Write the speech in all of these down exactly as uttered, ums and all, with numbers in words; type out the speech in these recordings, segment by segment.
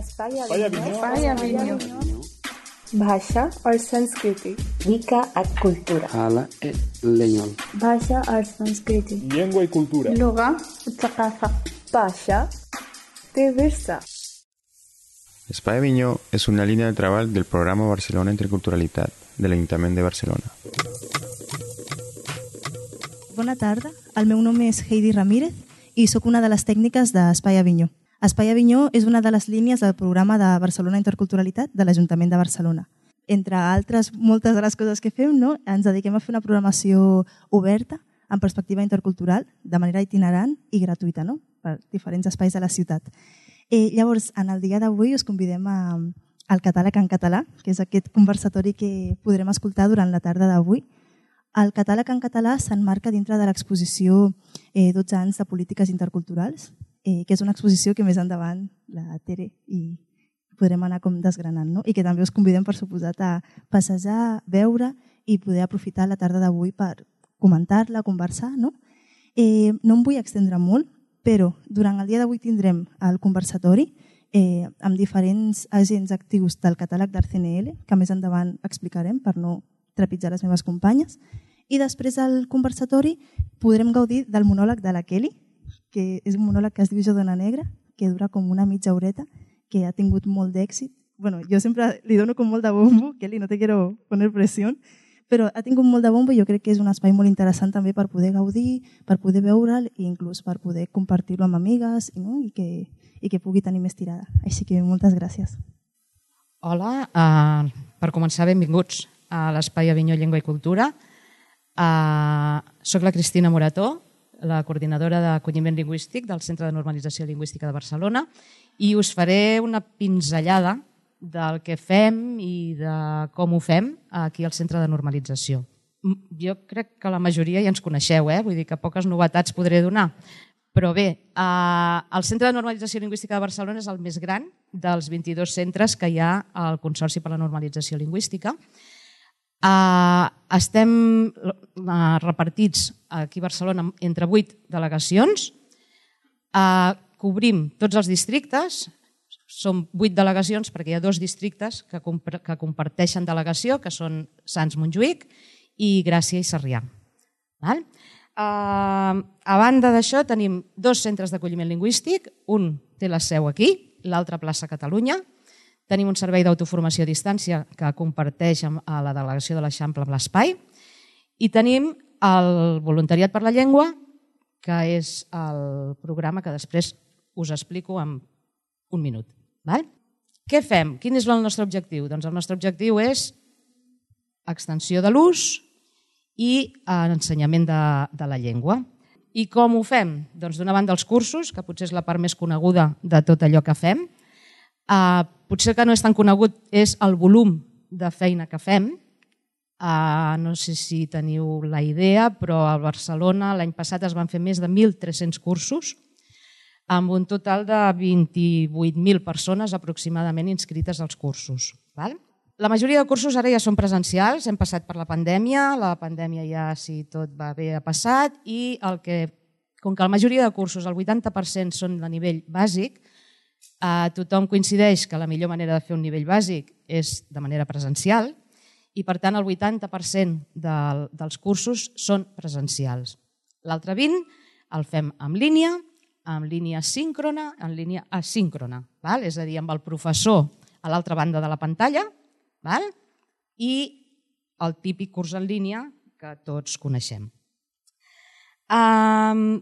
Espai Avinyó. भाषा और संस्कृति Mica a cultura. Hala e leñol. भाषा और संस्कृति Llengua y cultura. लغة والثقافة भाषा diversa. Espai Avinyó és una línia de treball del programa Barcelona Interculturalitat de l'Ajuntament de Barcelona. Bona tarda, el meu nom és Heidi Ramírez i sóc una de les tècniques d'Espai Avinyó. Espai Avinyó és una de les línies del programa de Barcelona Interculturalitat de l'Ajuntament de Barcelona. Entre altres, moltes de les coses que fem, no? Ens dediquem a fer una programació oberta, amb perspectiva intercultural, de manera itinerant i gratuïta, no? Per diferents espais de la ciutat. Eh, llavors, en el dia d'avui us convidem a, al Catàleg en català, que és aquest conversatori que podrem escoltar durant la tarda d'avui. El Catàleg en català s'emmarca dintre de l'exposició eh, dotze anys de polítiques interculturals, eh, que és una exposició que més endavant la Tere i podrem anar com desgranant, no? I que també us convidem, per suposat, a passejar, veure i poder aprofitar la tarda d'avui per comentar-la, conversar, no? Eh, no em vull extendre molt, però durant el dia d'avui tindrem el conversatori eh, amb diferents agents actius del catàleg d'Art C N L, que més endavant explicarem per no trepitjar les meves companyes, i després del conversatori podrem gaudir del monòleg de la Kelly, que és un monòleg que es diu Jo dona negra, que dura com una mitja horeta, que ha tingut molt d'èxit. Bueno, jo sempre li dono com molt de bombo, Kelly, no te quiero poner presión, però ha tingut molt de bombo i jo crec que és un espai molt interessant també per poder gaudir, per poder veure'l i inclús per poder compartir-lo amb amigues, no? I, que, i que pugui tenir més tirada. Així que moltes gràcies. Hola, uh, per començar, benvinguts a l'Espai Avinyó Llengua i Cultura. Uh, soc la Cristina Morató, la coordinadora d'acolliment lingüístic del Centre de Normalització Lingüística de Barcelona, i us faré una pinzellada del que fem i de com ho fem aquí al Centre de Normalització. Jo crec que la majoria ja ens coneixeu, eh? Vull dir que poques novetats podré donar. Però bé, eh, el Centre de Normalització Lingüística de Barcelona és el més gran dels vint-i-dos centres que hi ha al Consorci per la Normalització Lingüística. Uh, estem uh, repartits aquí a Barcelona entre vuit delegacions, uh, cobrim tots els districtes, són vuit delegacions perquè hi ha dos districtes que, comp que comparteixen delegació, que són Sants-Montjuïc i Gràcia i Sarrià. Val? Uh, a banda d'això tenim dos centres d'acolliment lingüístic, un té la seu aquí, l'altre a Plaça Catalunya. Tenim un servei d'autoformació a distància que comparteix amb la delegació de l'Eixample amb l'espai i tenim el Voluntariat per la Llengua, que és el programa que després us explico en un minut. Val? Què fem? Quin és el nostre objectiu? Doncs el nostre objectiu és extensió de l'ús i ensenyament de, de la llengua. I com ho fem? Doncs d'una banda els cursos, que potser és la part més coneguda de tot allò que fem. Uh, potser que no és tan conegut és el volum de feina que fem. Uh, no sé si teniu la idea, però a Barcelona l'any passat es van fer més de mil tres-cents cursos amb un total de vint-i-vuit mil persones aproximadament inscrites als cursos. Val? La majoria de cursos ara ja són presencials, hem passat per la pandèmia, la pandèmia ja, si tot va bé, ha passat, i el que, com que la majoria de cursos, el vuitanta per cent són de nivell bàsic, Uh, tothom coincideix que la millor manera de fer un nivell bàsic és de manera presencial i, per tant, el vuitanta per cent de, dels cursos són presencials. L'altre vint el fem en línia, en línia síncrona, en línia asíncrona, val? És a dir, amb el professor a l'altra banda de la pantalla, val? I el típic curs en línia que tots coneixem. Um,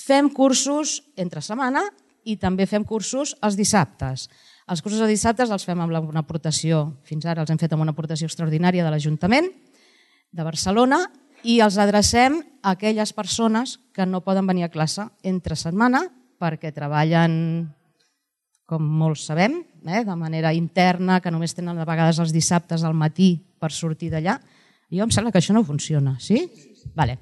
fem cursos entre setmana i també fem cursos els dissabtes. Els cursos de dissabtes els fem amb una aportació, fins ara els hem fet amb una aportació extraordinària de l'Ajuntament de Barcelona i els adrecem a aquelles persones que no poden venir a classe entre setmana perquè treballen, com molts sabem, eh, de manera interna, que només tenen a vegades els dissabtes al matí per sortir d'allà. Jo em sembla que això no funciona, sí? Vale.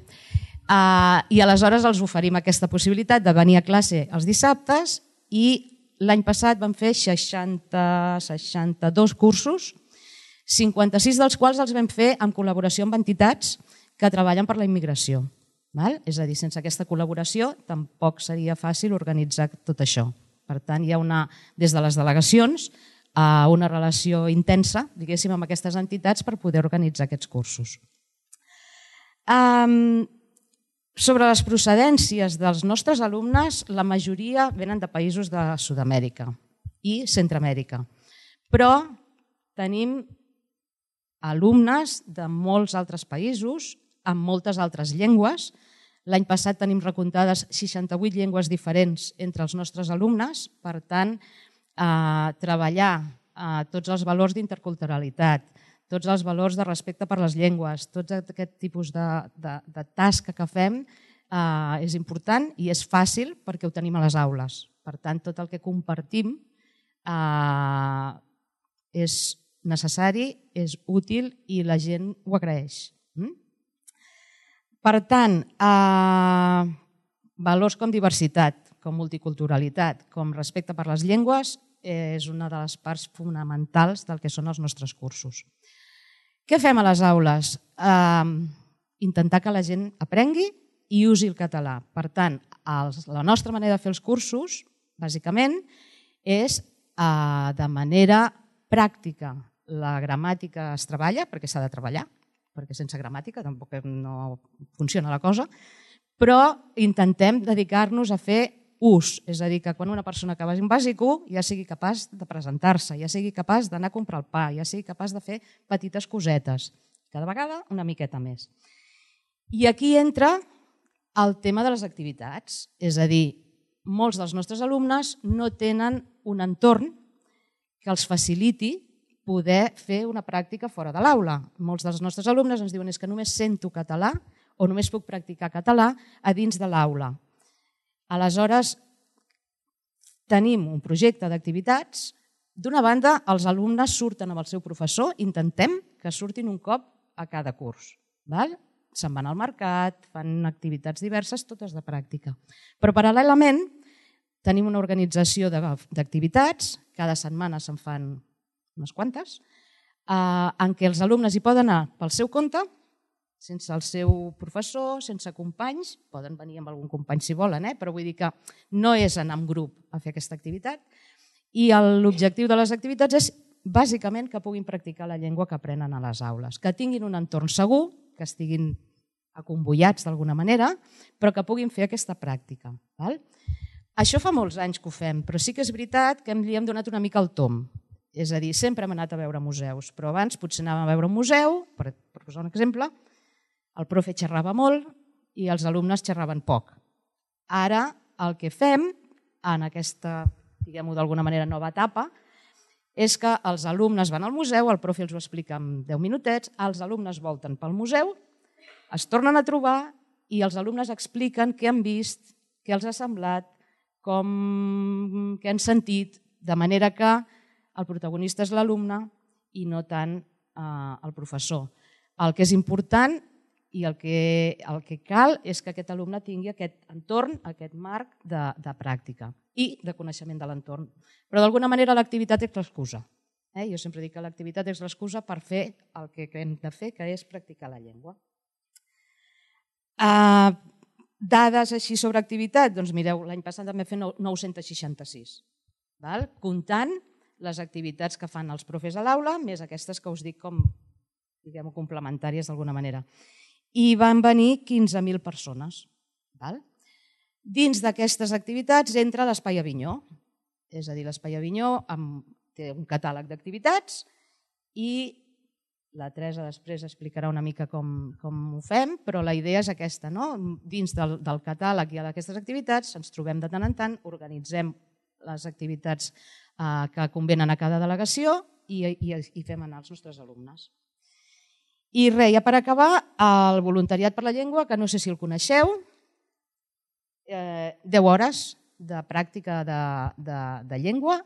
Uh, I aleshores els oferim aquesta possibilitat de venir a classe els dissabtes i l'any passat vam fer seixanta, seixanta-dos cursos, cinquanta-sis dels quals els vam fer en col·laboració amb entitats que treballen per la immigració. Val? És a dir, sense aquesta col·laboració tampoc seria fàcil organitzar tot això. Per tant, hi ha una, des de les delegacions una relació intensa, diguéssim, amb aquestes entitats per poder organitzar aquests cursos. Um, sobre les procedències dels nostres alumnes, la majoria venen de països de Sud-amèrica i Centroamèrica, però tenim alumnes de molts altres països, amb moltes altres llengües. L'any passat tenim recomptades seixanta-vuit llengües diferents entre els nostres alumnes, per tant, a treballar a tots els valors d'interculturalitat, tots els valors de respecte per les llengües, tot aquest tipus de, de, de tasca que fem eh, és important i és fàcil perquè ho tenim a les aules. Per tant, tot el que compartim eh, és necessari, és útil i la gent ho agraeix. Mm? Per tant, eh, valors com diversitat, com multiculturalitat, com respecte per les llengües, és una de les parts fonamentals del que són els nostres cursos. Què fem a les aules? Eh, intentar que la gent aprengui i usi el català. Per tant, els, la nostra manera de fer els cursos, bàsicament, és eh, de manera pràctica. La gramàtica es treballa, perquè s'ha de treballar, perquè sense gramàtica tampoc no funciona la cosa, però intentem dedicar-nos a fer ús, és a dir, que quan una persona acaba en bàsic u ja sigui capaç de presentar-se, ja sigui capaç d'anar a comprar el pa, ja sigui capaç de fer petites cosetes, cada vegada una miqueta més. I aquí entra el tema de les activitats, és a dir, molts dels nostres alumnes no tenen un entorn que els faciliti poder fer una pràctica fora de l'aula. Molts dels nostres alumnes ens diuen és que només sento català o només puc practicar català a dins de l'aula. Aleshores, tenim un projecte d'activitats. D'una banda, els alumnes surten amb el seu professor, intentem que surtin un cop a cada curs. Se'n van al mercat, fan activitats diverses, totes de pràctica. Però paral·lelament tenim una organització d'activitats, cada setmana se'n fan unes quantes, en què els alumnes hi poden anar pel seu compte, sense el seu professor, sense companys, poden venir amb algun company si volen, eh? Però vull dir que no és anar en grup a fer aquesta activitat. I l'objectiu de les activitats és bàsicament que puguin practicar la llengua que aprenen a les aules, que tinguin un entorn segur, que estiguin acomboiats d'alguna manera, però que puguin fer aquesta pràctica. Val? Això fa molts anys que ho fem, però sí que és veritat que li hem donat una mica el tom. És a dir, sempre hem anat a veure museus, però abans potser anàvem a veure un museu, per posar un exemple, el profe xerrava molt i els alumnes xerraven poc. Ara el que fem en aquesta, diguem-ho d'alguna manera, nova etapa, és que els alumnes van al museu, el profe els ho explica en deu minutets, els alumnes volten pel museu, es tornen a trobar i els alumnes expliquen què han vist, què els ha semblat, com, què han sentit, de manera que el protagonista és l'alumne i no tant eh, el professor. El que és important i el que, el que cal és que aquest alumne tingui aquest entorn, aquest marc de, de pràctica i de coneixement de l'entorn. Però d'alguna manera l'activitat és l'excusa. Eh? Jo sempre dic que l'activitat és l'excusa per fer el que hem de fer, que és practicar la llengua. Uh, dades així sobre activitat, doncs mireu, l'any passat vam fer nou-cents seixanta-sis, val? Comptant les activitats que fan els profes a l'aula, més aquestes que us dic com, diguem-ho, complementàries d'alguna manera. I van venir quinze mil persones. Val? Dins d'aquestes activitats entra l'Espai Avinyó, és a dir, l'Espai Avinyó té un catàleg d'activitats i la Teresa després explicarà una mica com, com ho fem, però la idea és aquesta, no? Dins del, del catàleg i d'aquestes activitats ens trobem de tant en tant, organitzem les activitats eh, que convenen a cada delegació i, i, i fem anar els nostres alumnes. I res, ja per acabar, el voluntariat per la llengua, que no sé si el coneixeu, eh, deu hores de pràctica de, de, de llengua,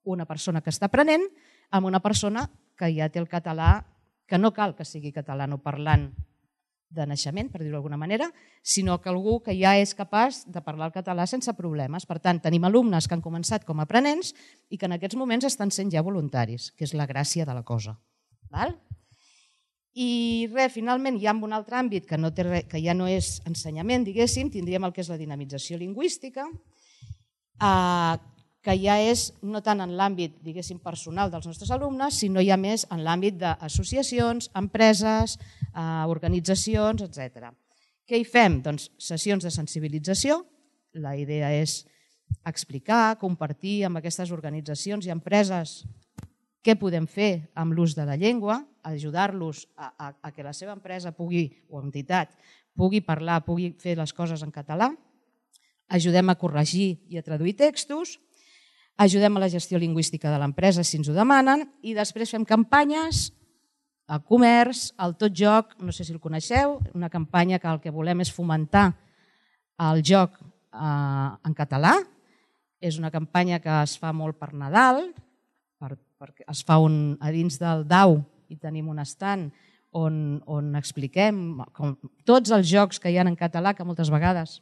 una persona que està aprenent, amb una persona que ja té el català, que no cal que sigui catalanoparlant de naixement, per dir-ho d'alguna manera, sinó que algú que ja és capaç de parlar el català sense problemes. Per tant, tenim alumnes que han començat com a aprenents i que en aquests moments estan sent ja voluntaris, que és la gràcia de la cosa. Val? I res, finalment, hi ha un altre àmbit que, no té res, que ja no és ensenyament, diguéssim, tindríem el que és la dinamització lingüística, eh, que ja és no tant en l'àmbit, diguéssim, personal dels nostres alumnes, sinó ja més en l'àmbit d'associacions, empreses, organitzacions, etcètera. Què hi fem? Doncs sessions de sensibilització. La idea és explicar, compartir amb aquestes organitzacions i empreses què podem fer amb l'ús de la llengua, ajudar-los a, a, a que la seva empresa pugui, o entitat pugui parlar, pugui fer les coses en català, ajudem a corregir i a traduir textos, ajudem a la gestió lingüística de l'empresa si ens ho demanen i després fem campanyes al comerç, al Tot Joc, no sé si el coneixeu, una campanya que el que volem és fomentar el joc eh, en català. És una campanya que es fa molt per Nadal, per, perquè es fa un, a dins del D A U i tenim un estand on, on expliquem com, tots els jocs que hi ha en català, que moltes vegades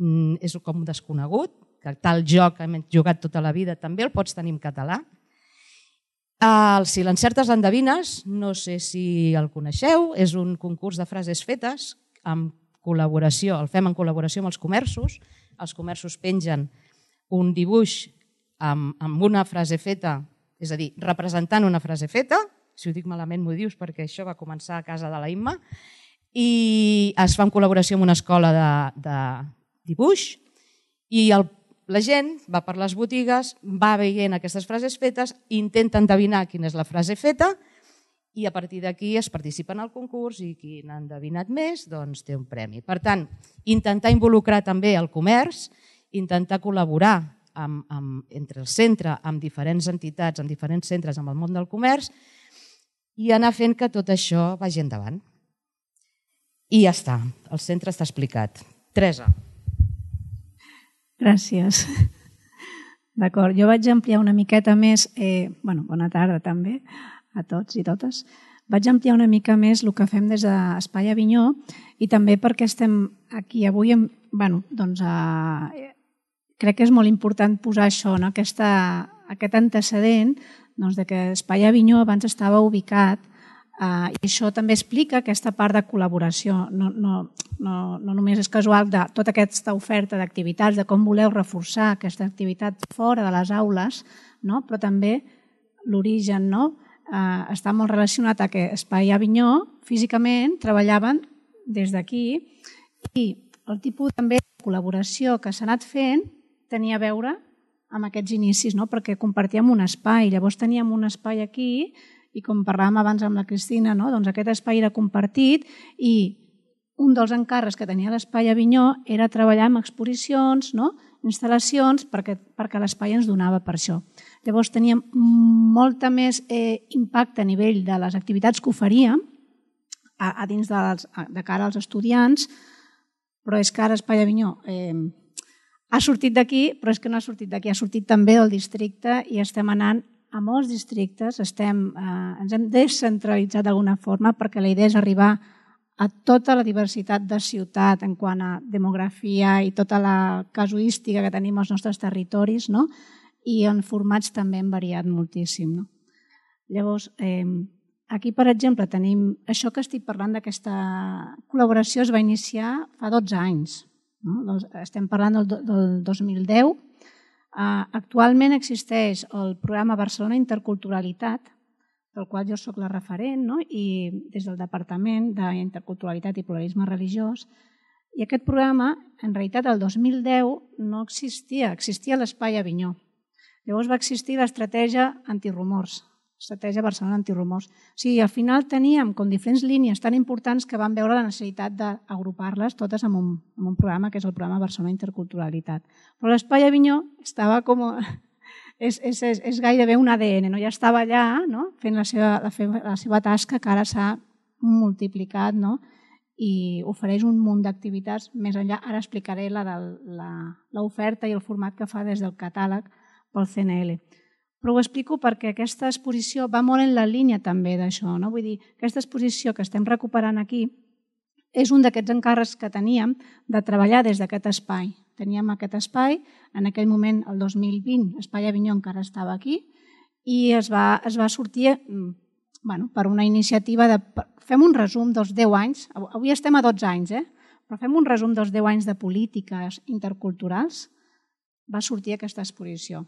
mm, és com desconegut, que tal joc que hem jugat tota la vida també el pots tenir en català. El Si l'encertes l'endevines, no sé si el coneixeu, és un concurs de frases fetes amb col·laboració, el fem en col·laboració amb els comerços. Els comerços pengen un dibuix amb, amb una frase feta, és a dir, representant una frase feta, si ho dic malament m'ho dius perquè això va començar a casa de la Imma, i es fa en col·laboració amb una escola de, de dibuix i el la gent va per les botigues, va veient aquestes frases fetes, intenta endevinar quina és la frase feta i a partir d'aquí es participa en el concurs i qui n'ha endevinat més doncs té un premi. Per tant, intentar involucrar també el comerç, intentar col·laborar amb, amb, entre el centre, amb diferents entitats, amb diferents centres, amb el món del comerç i anar fent que tot això vagi endavant. I ja està, el centre està explicat. Teresa. Gràcies. D'acord, jo vaig ampliar una miqueta més, eh, bueno, bona tarda també a tots i totes, vaig ampliar una mica més el que fem des d'Espai Avinyó i també perquè estem aquí avui, en, bueno, doncs eh, crec que és molt important posar això, no? Aquesta, aquest antecedent doncs, de que Espai Avinyó abans estava ubicat Uh, i això també explica aquesta part de col·laboració. No, no, no, no només és casual de tota aquesta oferta d'activitats, de com voleu reforçar aquesta activitat fora de les aules, no? Però també l'origen, no? uh, està molt relacionat a que Espai Avinyó físicament treballaven des d'aquí i el tipus també de col·laboració que s'ha anat fent tenia a veure amb aquests inicis, no? Perquè compartíem un espai, llavors teníem un espai aquí i com parlàvem abans amb la Cristina, no? Doncs aquest espai era compartit i un dels encàrrecs que tenia l'Espai Avinyó era treballar amb exposicions, no? Instal·lacions, perquè, perquè l'espai ens donava per això. Llavors teníem molta més eh, impacte a nivell de les activitats que oferíem a, a dins dels, a, de cara als estudiants, però és que ara Espai Avinyó eh, ha sortit d'aquí, però és que no ha sortit d'aquí, ha sortit també del districte i estem anant a molts districtes, estem, eh, ens hem descentralitzat d'alguna forma perquè la idea és arribar a tota la diversitat de ciutat en quant a demografia i tota la casuística que tenim als nostres territoris, no? I en formats també hem variat moltíssim. No? Llavors, eh, aquí, per exemple, tenim això que estic parlant d'aquesta col·laboració es va iniciar fa dotze anys. No? Estem parlant del, del dos mil deu. Uh, actualment existeix el programa Barcelona Interculturalitat, del qual jo soc la referent, no? I des del Departament d'Interculturalitat i Pluralisme Religiós. I aquest programa, en realitat, el dos mil deu no existia, existia l'Espai Avinyó. Llavors va existir l'estratègia antirumors, l'estratègia Barcelona antirumors. O sigui, al final teníem com diferents línies tan importants que vam veure la necessitat d'agrupar-les totes en un, en un programa que és el programa Barcelona Interculturalitat. Però l'Espai Avinyó estava com... És, és, és, és gairebé un A D N, no? Ja estava allà, no? Fent la seva, la, la seva tasca que ara s'ha multiplicat, no? I ofereix un munt d'activitats més enllà. Ara explicaré l'oferta i el format que fa des del catàleg pel C N L. Però ho explico perquè aquesta exposició va molt en la línia també d'això. No? Vull dir, aquesta exposició que estem recuperant aquí és un d'aquests encàrrecs que teníem de treballar des d'aquest espai. Teníem aquest espai, en aquell moment, el dos mil vint, Espai Avinyó encara estava aquí, i es va, es va sortir bueno, per una iniciativa de... Fem un resum dels deu anys, avui estem a dotze anys, eh? Però fem un resum dels deu anys de polítiques interculturals, va sortir aquesta exposició.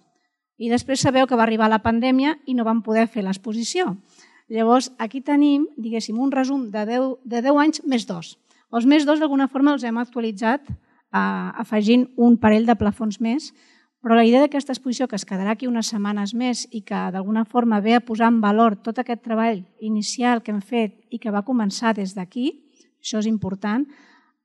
I després sabeu que va arribar la pandèmia i no vam poder fer l'exposició. Llavors, aquí tenim, diguéssim, un resum de deu, de deu anys més dos. Els més dos, d'alguna forma, els hem actualitzat eh, afegint un parell de plafons més, però la idea d'aquesta exposició, que es quedarà aquí unes setmanes més i que d'alguna forma ve a posar en valor tot aquest treball inicial que hem fet i que va començar des d'aquí, això és important,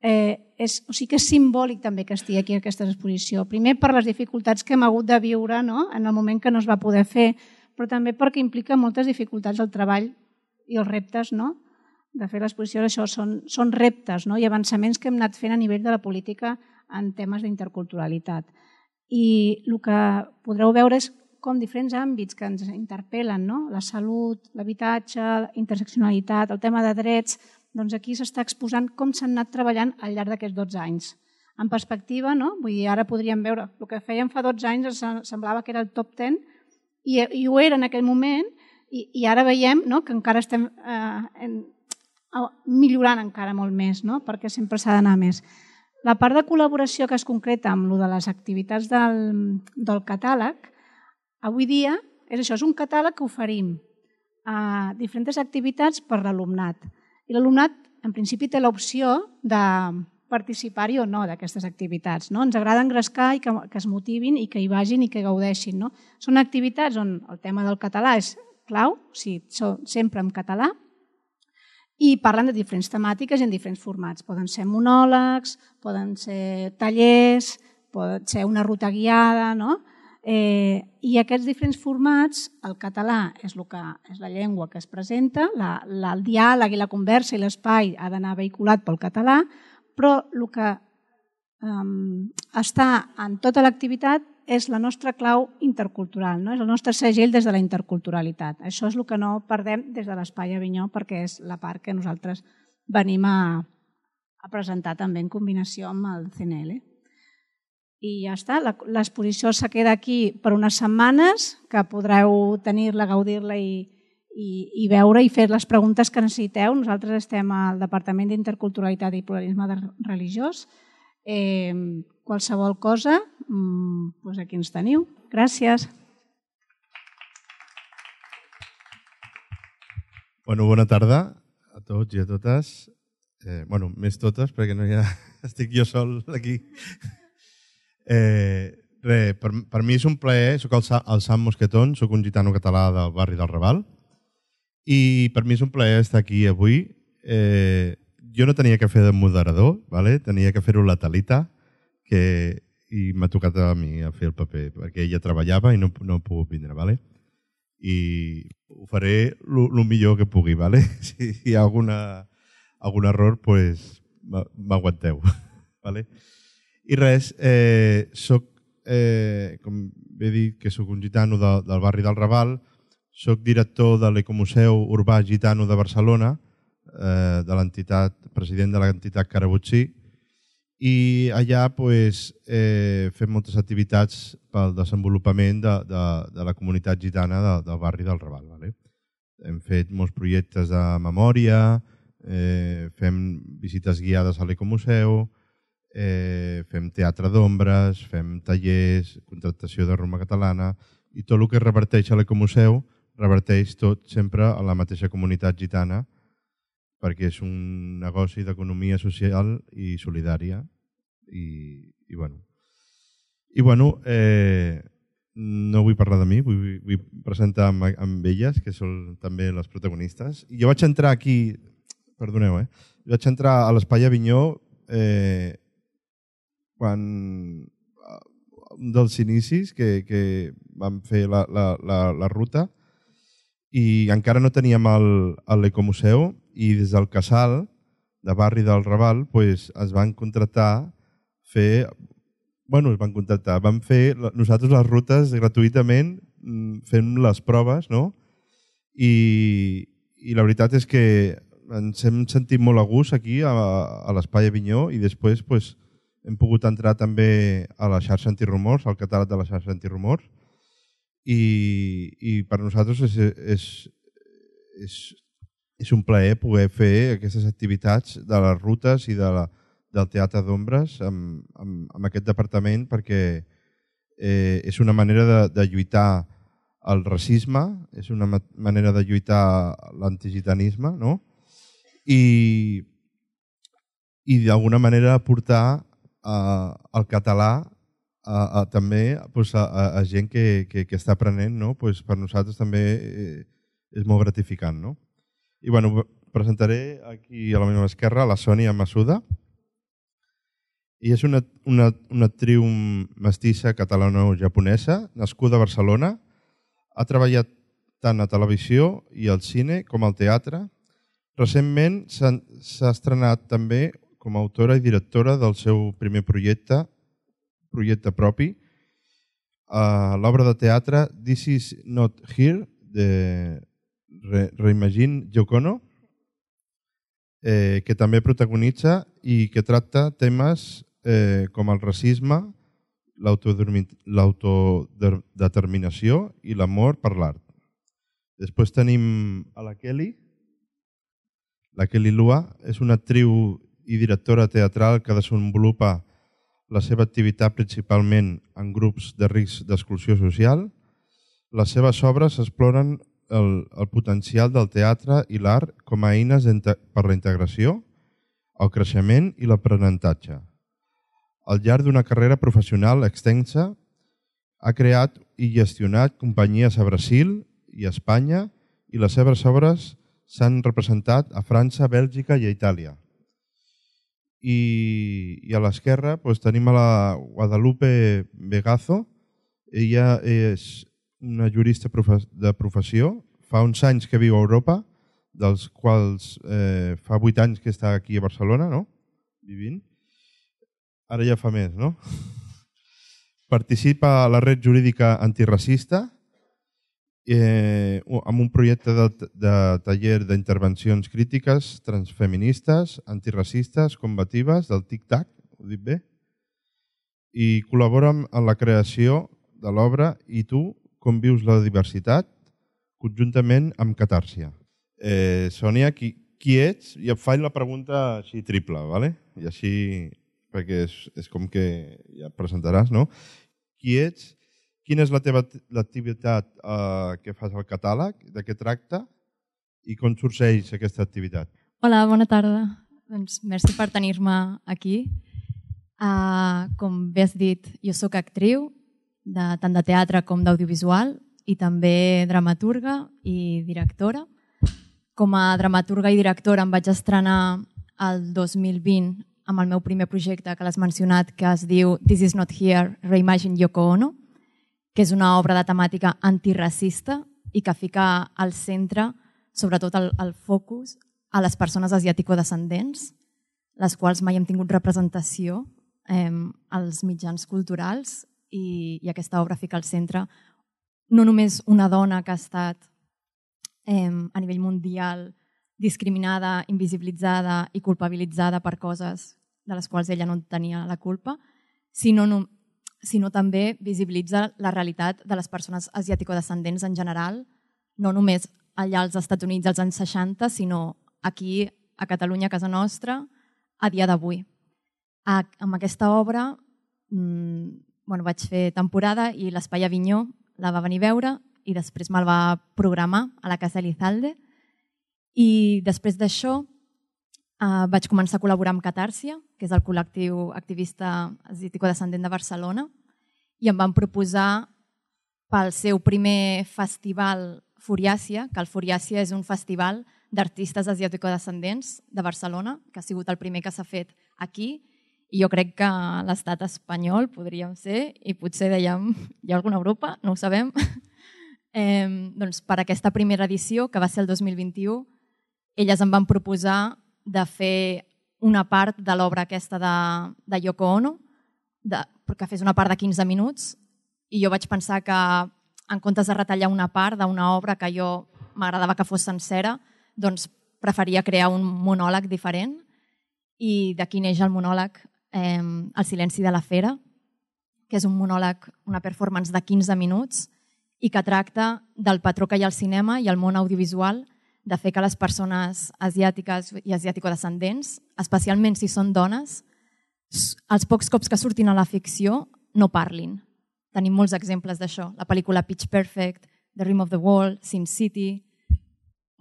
eh, és, o sigui que és simbòlic també que estigui aquí aquesta exposició. Primer per les dificultats que hem hagut de viure, no?, en el moment que no es va poder fer, però també perquè implica moltes dificultats el treball i els reptes, no?, de fer l'exposició. Això són, són reptes, no?, i avançaments que hem anat fent a nivell de la política en temes d'interculturalitat. I el que podreu veure és com diferents àmbits que ens interpel·len, no?, la salut, l'habitatge, la interseccionalitat, el tema de drets, doncs aquí s'està exposant com s'han anat treballant al llarg d'aquests dotze anys. En perspectiva, no?, vull dir, ara podríem veure, el que fèiem fa dotze anys semblava que era el top deu, i, i ho era en aquell moment, i, i ara veiem, no?, que encara estem eh, en, millorant encara molt més, no?, perquè sempre s'ha d'anar més. La part de col·laboració que es concreta amb lo de les activitats del, del catàleg, avui dia és això, és un catàleg que oferim a diferents activitats per l'alumnat. I l'alumnat, en principi, té l'opció de participar-hi o no d'aquestes activitats. No? Ens agrada engrescar i que, que es motivin i que hi vagin i que gaudeixin. No? Són activitats on el tema del català és clau, o sigui, sempre en català, i parlen de diferents temàtiques i en diferents formats. Poden ser monòlegs, poden ser tallers, pot ser una ruta guiada, no? Eh, I aquests diferents formats, el català és, el que, és la llengua que es presenta, la, la, el diàleg i la conversa i l'espai ha d'anar vehiculat pel català, però el que um, està en tota l'activitat és la nostra clau intercultural, no? És el nostre segell des de la interculturalitat. Això és el que no perdem des de l'Espai Avinyó, perquè és la part que nosaltres venim a, a presentar també en combinació amb el C N L. I ja està, l'exposició se queda aquí per unes setmanes, que podreu tenir-la, gaudir-la i, i, i veure i fer les preguntes que necessiteu. Nosaltres estem al Departament d'Interculturalitat i Pluralisme Religiós. Eh, qualsevol cosa, doncs aquí ens teniu. Gràcies. Bueno, bona tarda a tots i a totes. Eh, bueno, més totes, perquè no hi ha... estic jo sol aquí. Eh, re, per, per mi és un plaer, soc el, el Sam Mosquetón, soc un gitano català del barri del Raval, i per mi és un plaer estar aquí avui. Eh, jo no tenia que fer de moderador, ¿vale? Tenia que fer-ho la Talita, que, i m'ha tocat a mi a fer el paper, perquè ella treballava i no, no he pogut vindre, ¿vale? I ho faré el millor que pugui, ¿vale? Si hi ha alguna, algun error, pues, m'aguanteu, ¿vale? I res, eh, soc, eh, com he dit, que soc un gitano de, del barri del Raval, soc director de l'Ecomuseu Urbà Gitano de Barcelona, eh, de l'entitat, president de l'entitat Carabutsí, i allà pues, eh, fem moltes activitats pel desenvolupament de, de, de la comunitat gitana de, del barri del Raval. Vale? Hem fet molts projectes de memòria, eh, fem visites guiades a l'Ecomuseu, Eh, fem teatre d'ombres, fem tallers, contractació de Roma catalana, i tot el que reverteix a l'Ecomuseu reverteix tot sempre a la mateixa comunitat gitana, perquè és un negoci d'economia social i solidària. I, i bueno, i bueno eh, no vull parlar de mi, vull, vull presentar amb, amb elles, que són també les protagonistes. I jo vaig entrar aquí, perdoneu, eh? Jo vaig entrar a l'Espai Avinyó eh, quan un dels inicis que, que vam fer la, la, la, la ruta, i encara no teníem l'Ecomuseu, i des del Casal, de barri del Raval, pues, es van contractar fer... Bueno, es van contractar, vam fer nosaltres les rutes gratuïtament, fent les proves, no? I, i la veritat és que ens hem sentit molt a gust aquí, a, a l'Espai Avinyó, i després, pues, hem pogut entrar també a la xarxa antirumors, al catàleg de la xarxa antirumors, i, i per nosaltres és, és, és, és un plaer poder fer aquestes activitats de les rutes i de la, del teatre d'ombres amb, amb, amb aquest departament, perquè eh, és una manera de, de lluitar el racisme, és una ma manera de lluitar l'antigitanisme, no? I, i d'alguna manera portar eh, el català a, a, també pues, a, a gent que, que, que està aprenent, no? Pues, per nosaltres també eh, és molt gratificant. No? I bueno, presentaré aquí a la meva esquerra la Sònia Massuda. I és una, una, una actriu mestissa catalano-japonesa, nascuda a Barcelona. Ha treballat tant a televisió i al cine com al teatre. Recentment s'ha estrenat també com a autora i directora del seu primer projecte, projecte propi, a l'obra de teatre This Is Not Here, de Reimagine Yoko Ono, eh, que també protagonitza i que tracta temes eh, com el racisme, l'autodeterminació i l'amor per l'art. Després tenim a la Kelly. La Kelly Lua és una actriu i directora teatral que desenvolupa la seva activitat principalment en grups de risc d'exclusió social. Les seves obres exploren el, el potencial del teatre i l'art com a eines per la integració, el creixement i l'aprenentatge. Al llarg d'una carrera professional extensa, ha creat i gestionat companyies a Brasil i a Espanya i les seves obres s'han representat a França, Bèlgica i a Itàlia. I, i a l'esquerra doncs, tenim a la Guadalupe Vegazo. Ella és una jurista de professió, fa uns anys que viu a Europa, dels quals eh, fa vuit anys que està aquí a Barcelona, no? Vivint. Ara ja fa més, no? Participa a la red jurídica antiracista eh, amb un projecte de, de taller d'intervencions crítiques transfeministes, antiracistes, combatives, del tic-tac, ho dic bé, i col·labora en la creació de l'obra I tu, com vius la diversitat, conjuntament amb Catàrsia. Eh, Sònia, qui, qui ets? I et faig la pregunta així triple, ¿vale? I així, perquè és, és com que ja et presentaràs, no? Qui ets? Quina és la teva l'activitat eh, que fas al catàleg? De què tracta? I com sorgeix aquesta activitat? Hola, bona tarda. Doncs merci per tenir-me aquí. Uh, com bé has dit, jo sóc actriu, de, tant de teatre com d'audiovisual, i també dramaturga i directora. Com a dramaturga i directora em vaig estrenar el dos mil vint amb el meu primer projecte que l'has mencionat, que es diu This Is Not Here, Reimagine Yoko Ono, que és una obra de temàtica antiracista i que fica al centre, sobretot el, el focus, a les persones asiàtico-descendents, les quals mai hem tingut representació eh, als mitjans culturals, i, i aquesta obra fica al centre no només una dona que ha estat eh, a nivell mundial discriminada, invisibilitzada i culpabilitzada per coses de les quals ella no tenia la culpa, sinó, no, sinó també visibilitza la realitat de les persones asiàtico-descendents en general, no només allà als Estats Units als anys seixanta, sinó aquí, a Catalunya, a casa nostra, a dia d'avui. Amb aquesta obra mmm, bueno, vaig fer temporada i l'Espai Avinyó la va venir a veure i després me'l va programar a la Casa Elizalde. I després d'això eh, vaig començar a col·laborar amb Catàrsia, que és el col·lectiu activista asiàtico-descendent de Barcelona, i em van proposar pel seu primer festival Furiàcia, que el Furiàcia és un festival d'artistes asiàtico-descendents de Barcelona, que ha sigut el primer que s'ha fet aquí, i jo crec que l'estat espanyol podríem ser, i potser dèiem, hi ha alguna Europa, no ho sabem. eh, doncs per aquesta primera edició, que va ser el dos mil vint-i-u, elles em van proposar de fer una part de l'obra aquesta de, de Yoko Ono, de, que fes una part de quinze minuts, i jo vaig pensar que en comptes de retallar una part d'una obra que jo m'agradava que fos sencera, doncs preferia crear un monòleg diferent, i d'aquí neix el monòleg eh, El silenci de la fera, que és un monòleg, una performance de quinze minuts i que tracta del patró que hi ha al cinema i al món audiovisual de fer que les persones asiàtiques i asiàtico-descendents, especialment si són dones, els pocs cops que surtin a la ficció no parlin. tenim molts exemples d'això. La pel·lícula Pitch Perfect, The Rim of the Wall, Sin City,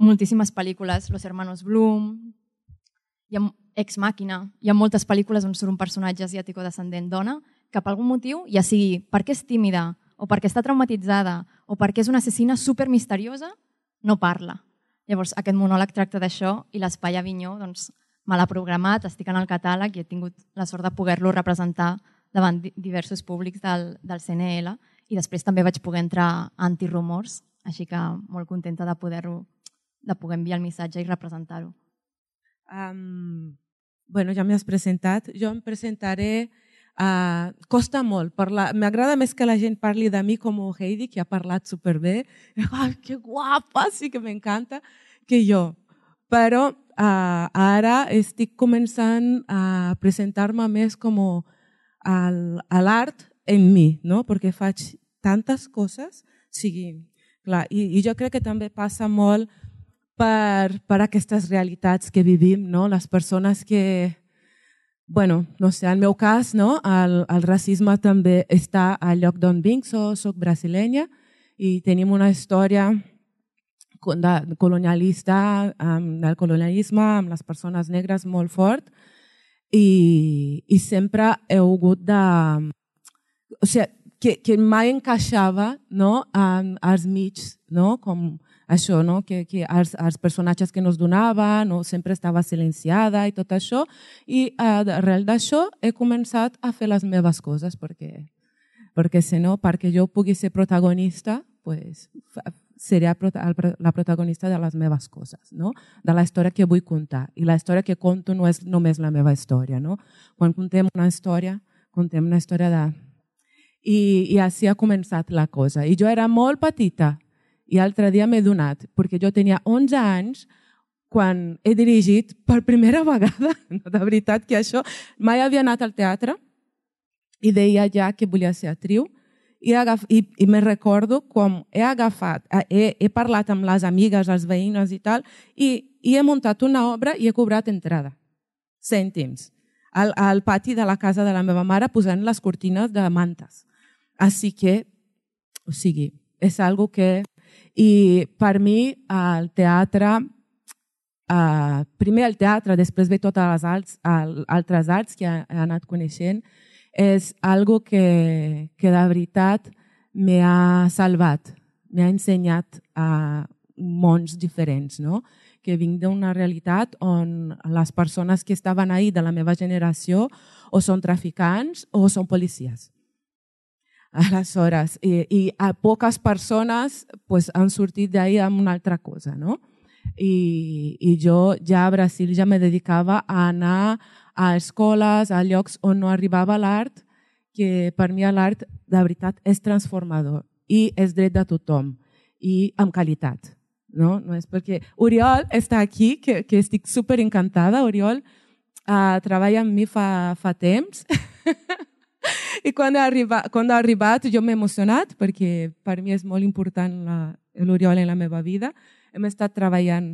moltíssimes pel·lícules, Los Hermanos Bloom, hi ha Ex Màquina, hi ha moltes pel·lícules on surt un personatge asiàtic o descendent dona que per algun motiu, ja sigui perquè és tímida o perquè està traumatitzada o perquè és una assassina supermisteriosa, no parla. Llavors, aquest monòleg tracta d'això i l'Espai Avinyó doncs, me l'ha programat, estic en el catàleg i he tingut la sort de poder-lo representar davant diversos públics del, del C N L i després també vaig poder entrar a Antirumors, així que molt contenta de poder-ho, de poder enviar el missatge i representar-ho. Um, bueno, ja m'has presentat. Jo em presentaré... Uh, costa molt. M'agrada més que la gent parli de mi com Heidi, que ha parlat superbé. Ai, que guapa, sí que m'encanta, que jo. Però uh, ara estic començant a presentar-me més com a l'art en mi, no? Perquè faig tantes coses. Sí, clar, i, i jo crec que també passa molt per, per aquestes realitats que vivim, no? Les persones que... Bueno, no sé, en el meu cas, no? el, el racisme també està al lloc d'on vinc, so, soc brasilenya i tenim una història de colonialista, um, del colonialisme amb les persones negres molt fort i, i sempre he hagut de... O sigui, que, que mai encaixava, no? en els mig, no? Com això, no? que, que els, els personatges que nos donaven, no? sempre estava silenciada i tot això. I uh, arrel d'això he començat a fer les meves coses perquè, perquè si no, perquè jo pugui ser protagonista, pues, seria la protagonista de les meves coses, no? De la història que vull contar. I la història que conto no és només la meva història. No? Quan contem una història, contem una història de... I, i així ha començat la cosa. I jo era molt petita i l'altre dia m'he donat, perquè jo tenia onze anys quan he dirigit per primera vegada, de veritat que això, mai havia anat al teatre i deia ja que volia ser actriu i, agaf, i, i me recordo com he agafat, he, he parlat amb les amigues, els veïns i tal, i, i he muntat una obra i he cobrat entrada, cèntims, al, al pati de la casa de la meva mare posant les cortines de mantes. Així que, o sigui, és algo que... I per mi el teatre, uh, primer el teatre, després ve totes les alts, altres arts que he, he anat coneixent, és algo que, que de veritat m'ha salvat, m'ha ensenyat a mons diferents, no? Que vinc d'una realitat on les persones que estaven ahí de la meva generació o són traficants o són policies. Aleshores, i, i a poques persones pues, han sortit d'ahí amb una altra cosa, no? I, i jo ja a Brasil ja me dedicava a anar a escoles, a llocs on no arribava l'art, que per mi l'art de veritat és transformador i és dret de tothom i amb qualitat. No? No és perquè Oriol està aquí, que, que estic super encantada. Oriol uh, treballa amb mi fa, fa temps. I quan ha arribat, quan ha arribat jo m'he emocionat perquè per mi és molt important l'Oriol en la meva vida. Hem estat treballant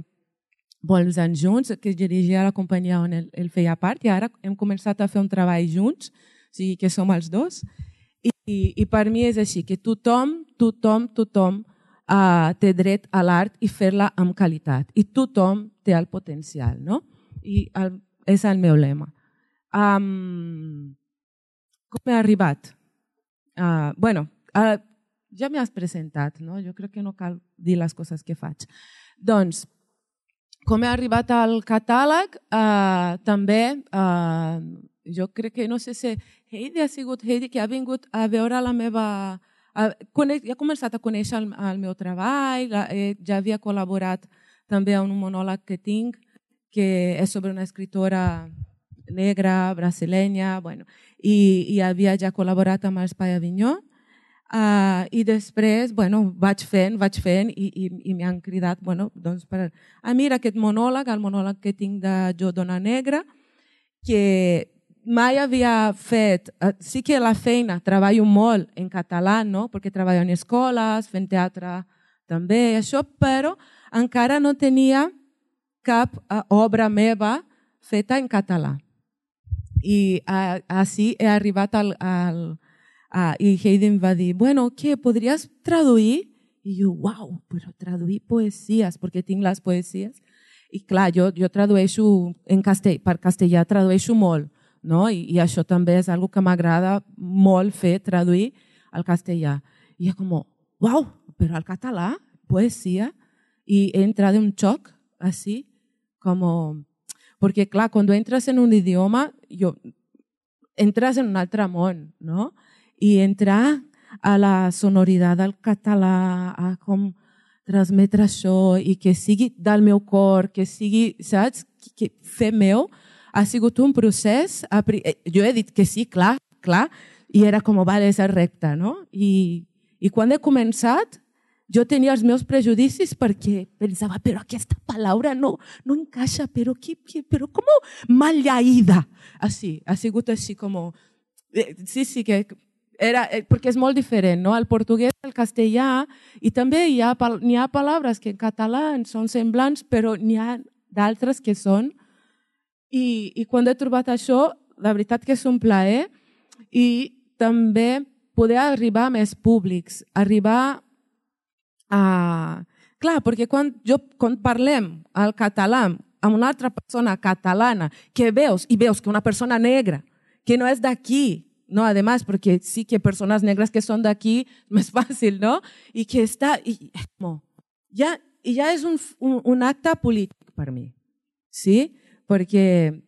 molts anys junts, que dirigia la companyia on ell, ell feia part i ara hem començat a fer un treball junts, o sigui que som els dos. I, i, i per mi és així, que tothom, tothom, tothom uh, té dret a l'art i fer-la amb qualitat. I tothom té el potencial, no? I el, és el meu lema. Um, Com he arribat? Uh, bueno, uh, ja m'has presentat, no? Jo crec que no cal dir les coses que faig. Doncs, com he arribat al catàleg, uh, també, uh, jo crec que, no sé si Heidi ha sigut Heidi, que ha vingut a veure la meva... Uh, conec, ja he començat a conèixer el, el meu treball, la, eh, ja havia col·laborat també en un monòleg que tinc, que és sobre una escritora negra, brasilenya, bueno, i, i havia ja col·laborat amb l'Espai Avinyó uh, i després bueno, vaig fent, vaig fent i, i, i m'han cridat bueno, doncs per, a mira aquest monòleg, el monòleg que tinc de Jo, dona negra, que mai havia fet, uh, sí que la feina treballo molt en català, no? Perquè treballo en escoles, fent teatre també, això, però encara no tenia cap uh, obra meva feta en català. I uh, així he arribat al, al, Uh, I Heidi em va dir, bueno, què, podries traduir? I jo, uau, però traduir poesies, perquè tinc les poesies. I clar, jo, jo tradueixo en castell, per castellà, tradueixo molt, no? I, i això també és algo que m'agrada molt fer, traduir al castellà. I jo com, uau, però al català, poesia, i he entrat en un xoc, así, como... Porque, clar, cuando entras en un idioma, yo, entras en un altre món, no? I entrar a la sonoritat del català, a com transmetre això i que sigui del meu cor, que sigui, saps, que fer meu, ha sigut un procés. Jo he dit que sí, clar, clar, i era com, vale, és recte, no? I, i quan he començat, jo tenia els meus prejudicis perquè pensava, però aquesta paraula no, no encaixa, però, que, que, però com maleïda. Així, ha sigut així com... Sí, sí, que era, perquè és molt diferent, no? El portuguès, el castellà, i també hi ha, n'hi ha paraules que en català són semblants, però n'hi ha d'altres que són. I, I quan he trobat això, la veritat que és un plaer, i també poder arribar a més públics, arribar a... Clar, perquè quan, jo, quan parlem el català amb una altra persona catalana, que veus, i veus que una persona negra, que no és d'aquí, no, además, porque sí que personas negras que son de aquí, más fácil, ¿no? Y que está, y, como, ya, y ya es un, un, un acta polític per mi, ¿sí? Porque,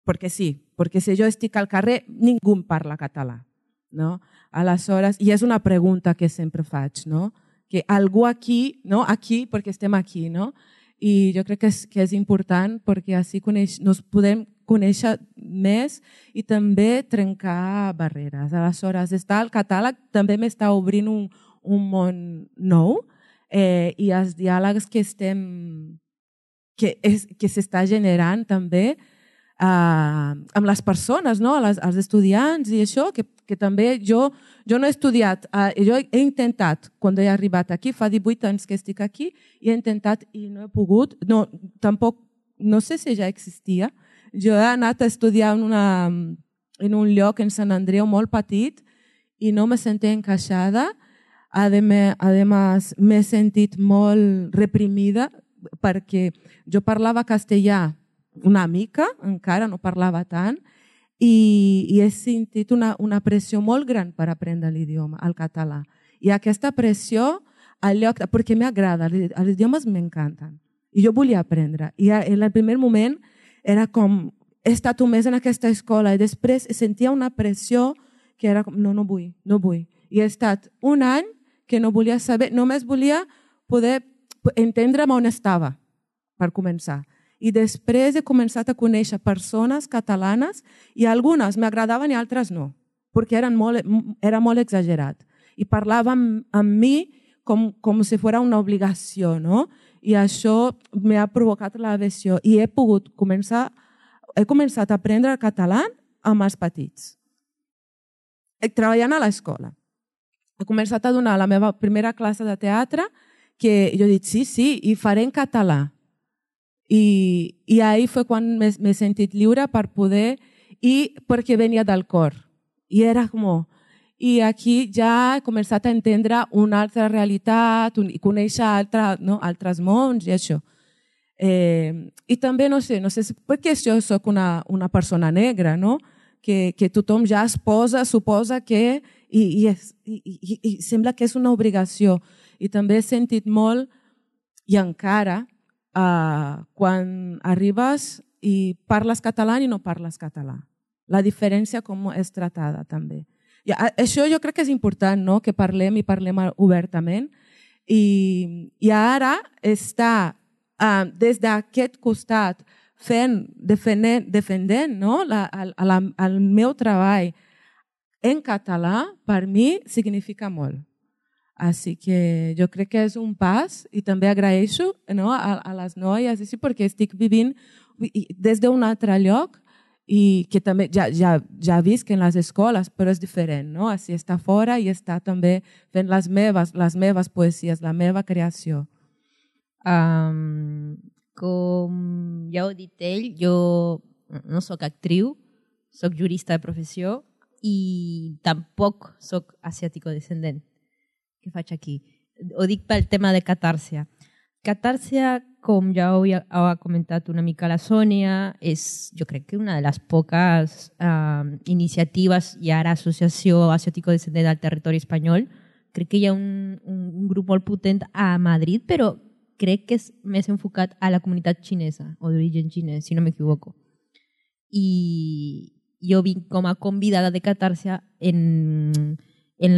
porque sí, porque si jo estic al carrer, ningú parla català, no? Aleshores, i és una pregunta que sempre faig, no? Que algú aquí, no? Aquí, perquè estem aquí, no? I jo crec que és, que és important perquè així coneix, nos podem conèixer més i també trencar barreres. Aleshores, estar al catàleg també m'està obrint un, un món nou eh, i els diàlegs que estem que, és, que s'està generant també eh, amb les persones, no? les, els estudiants i això, que, que també jo, jo no he estudiat, eh, jo he intentat, quan he arribat aquí, fa divuit anys que estic aquí, i he intentat i no he pogut, no, tampoc, no sé si ja existia. Jo he anat a estudiar en, una, en un lloc en Sant Andreu molt petit i no me sentia encaixada. Además, m'he sentit molt reprimida perquè jo parlava castellà una mica, encara no parlava tant, i, i he sentit una, una pressió molt gran per aprendre l'idioma, el català. I aquesta pressió, al lloc, perquè m'agrada, els idiomes m'encanten. I jo volia aprendre. I en el primer moment era com, he estat un mes en aquesta escola i després sentia una pressió que era com, no, no vull, no vull. I he estat un any que no volia saber, només volia poder entendre on estava, per començar. I després he començat a conèixer persones catalanes i algunes m'agradaven i altres no, perquè eren molt, era molt exagerat. I parlava amb, amb mi com, com si fos una obligació, no? I això m'ha provocat l'aversió i he pogut començar, he començat a aprendre el català amb els petits, treballant a l'escola. He començat a donar la meva primera classe de teatre que jo he dit sí, sí, i faré en català. I, i ahir fue quan m'he sentit lliure per poder, i perquè venia del cor. I era com... I aquí ja he començat a entendre una altra realitat i conèixer altre, no, altres mons i això. Eh, I també, no sé, no sé perquè jo soc una, una persona negra, no? que, que tothom ja es posa, suposa que... I, i, és, i, i, i sembla que és una obligació. I també he sentit molt, i encara, eh, quan arribes i parles català i no parles català. La diferència com és tratada també. I això jo crec que és important, no? Que parlem i parlem obertament. I, i ara està uh, des d'aquest costat fent, defendent, defendent no? la, el, el, el meu treball en català, per mi significa molt. Així que jo crec que és un pas i també agraeixo, no? a, a les noies així, perquè estic vivint des d'un altre lloc i que també ja, ja, ja visc en les escoles, però és diferent, no? Així està fora i està també fent les meves, les meves poesies, la meva creació. Um, com ja ho ha dit ell, jo no sóc actriu, sóc jurista de professió i tampoc sóc asiàtico-descendent. Què faig aquí? Ho dic pel tema de catàrsia. Catàrsia, com ja ho ha comentat una mica la Sònia, és jo crec que una de les poques eh, iniciatives i ara associació asiàtico-descendent al territori espanyol. Crec que hi ha un, un grup molt potent a Madrid, però crec que és més enfocat a la comunitat xinesa o d'origen xinès, si no m'equivoco. I jo vinc com a convidada de catàrsia en, en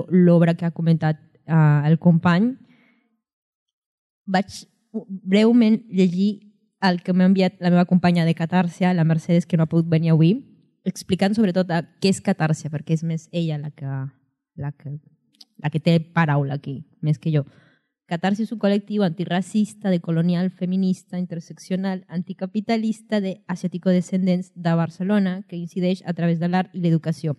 l'obra que ha comentat uh, el company. Vaig breument llegir el que m'ha enviat la meva companya de catàrsia, la Mercedes, que no ha pogut venir avui, explicant sobretot què és catàrsia, perquè és més ella la que, la que, la que té paraula aquí, més que jo. Catarsi és un col·lectiu antiracista, decolonial, feminista, interseccional, anticapitalista de asiàtico-descendents de Barcelona que incideix a través de l'art i l'educació.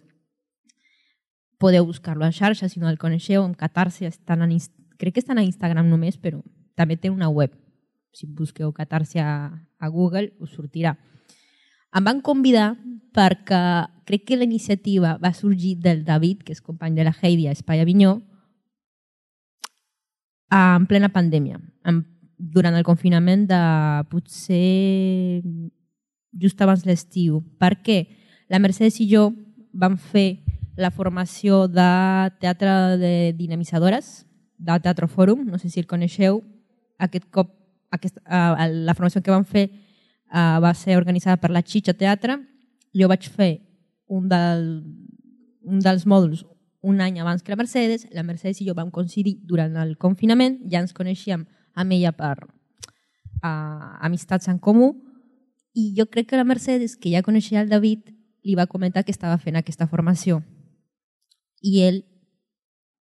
Podeu buscar-lo a xarxa si no el coneixeu, amb Catarsi, estan en, crec que estan a Instagram només, però també té una web. Si busqueu Catarsi a, a Google us sortirà. Em van convidar perquè crec que la iniciativa va sorgir del David, que és company de la Heidi a Espai Avinyó, en plena pandèmia, durant el confinament de potser just abans l'estiu. Per què? La Mercedes i jo vam fer la formació de teatre de dinamitzadores, de Teatre Fòrum, no sé si el coneixeu. Aquest cop, aquest, uh, la formació que vam fer uh, va ser organitzada per la Xitxa Teatre. Jo vaig fer un, del, un dels mòduls un any abans que la Mercedes. La Mercedes i jo vam coincidir durant el confinament, ja ens coneixíem amb ella per uh, amistats en comú, i jo crec que la Mercedes, que ja coneixia el David, li va comentar que estava fent aquesta formació. I ell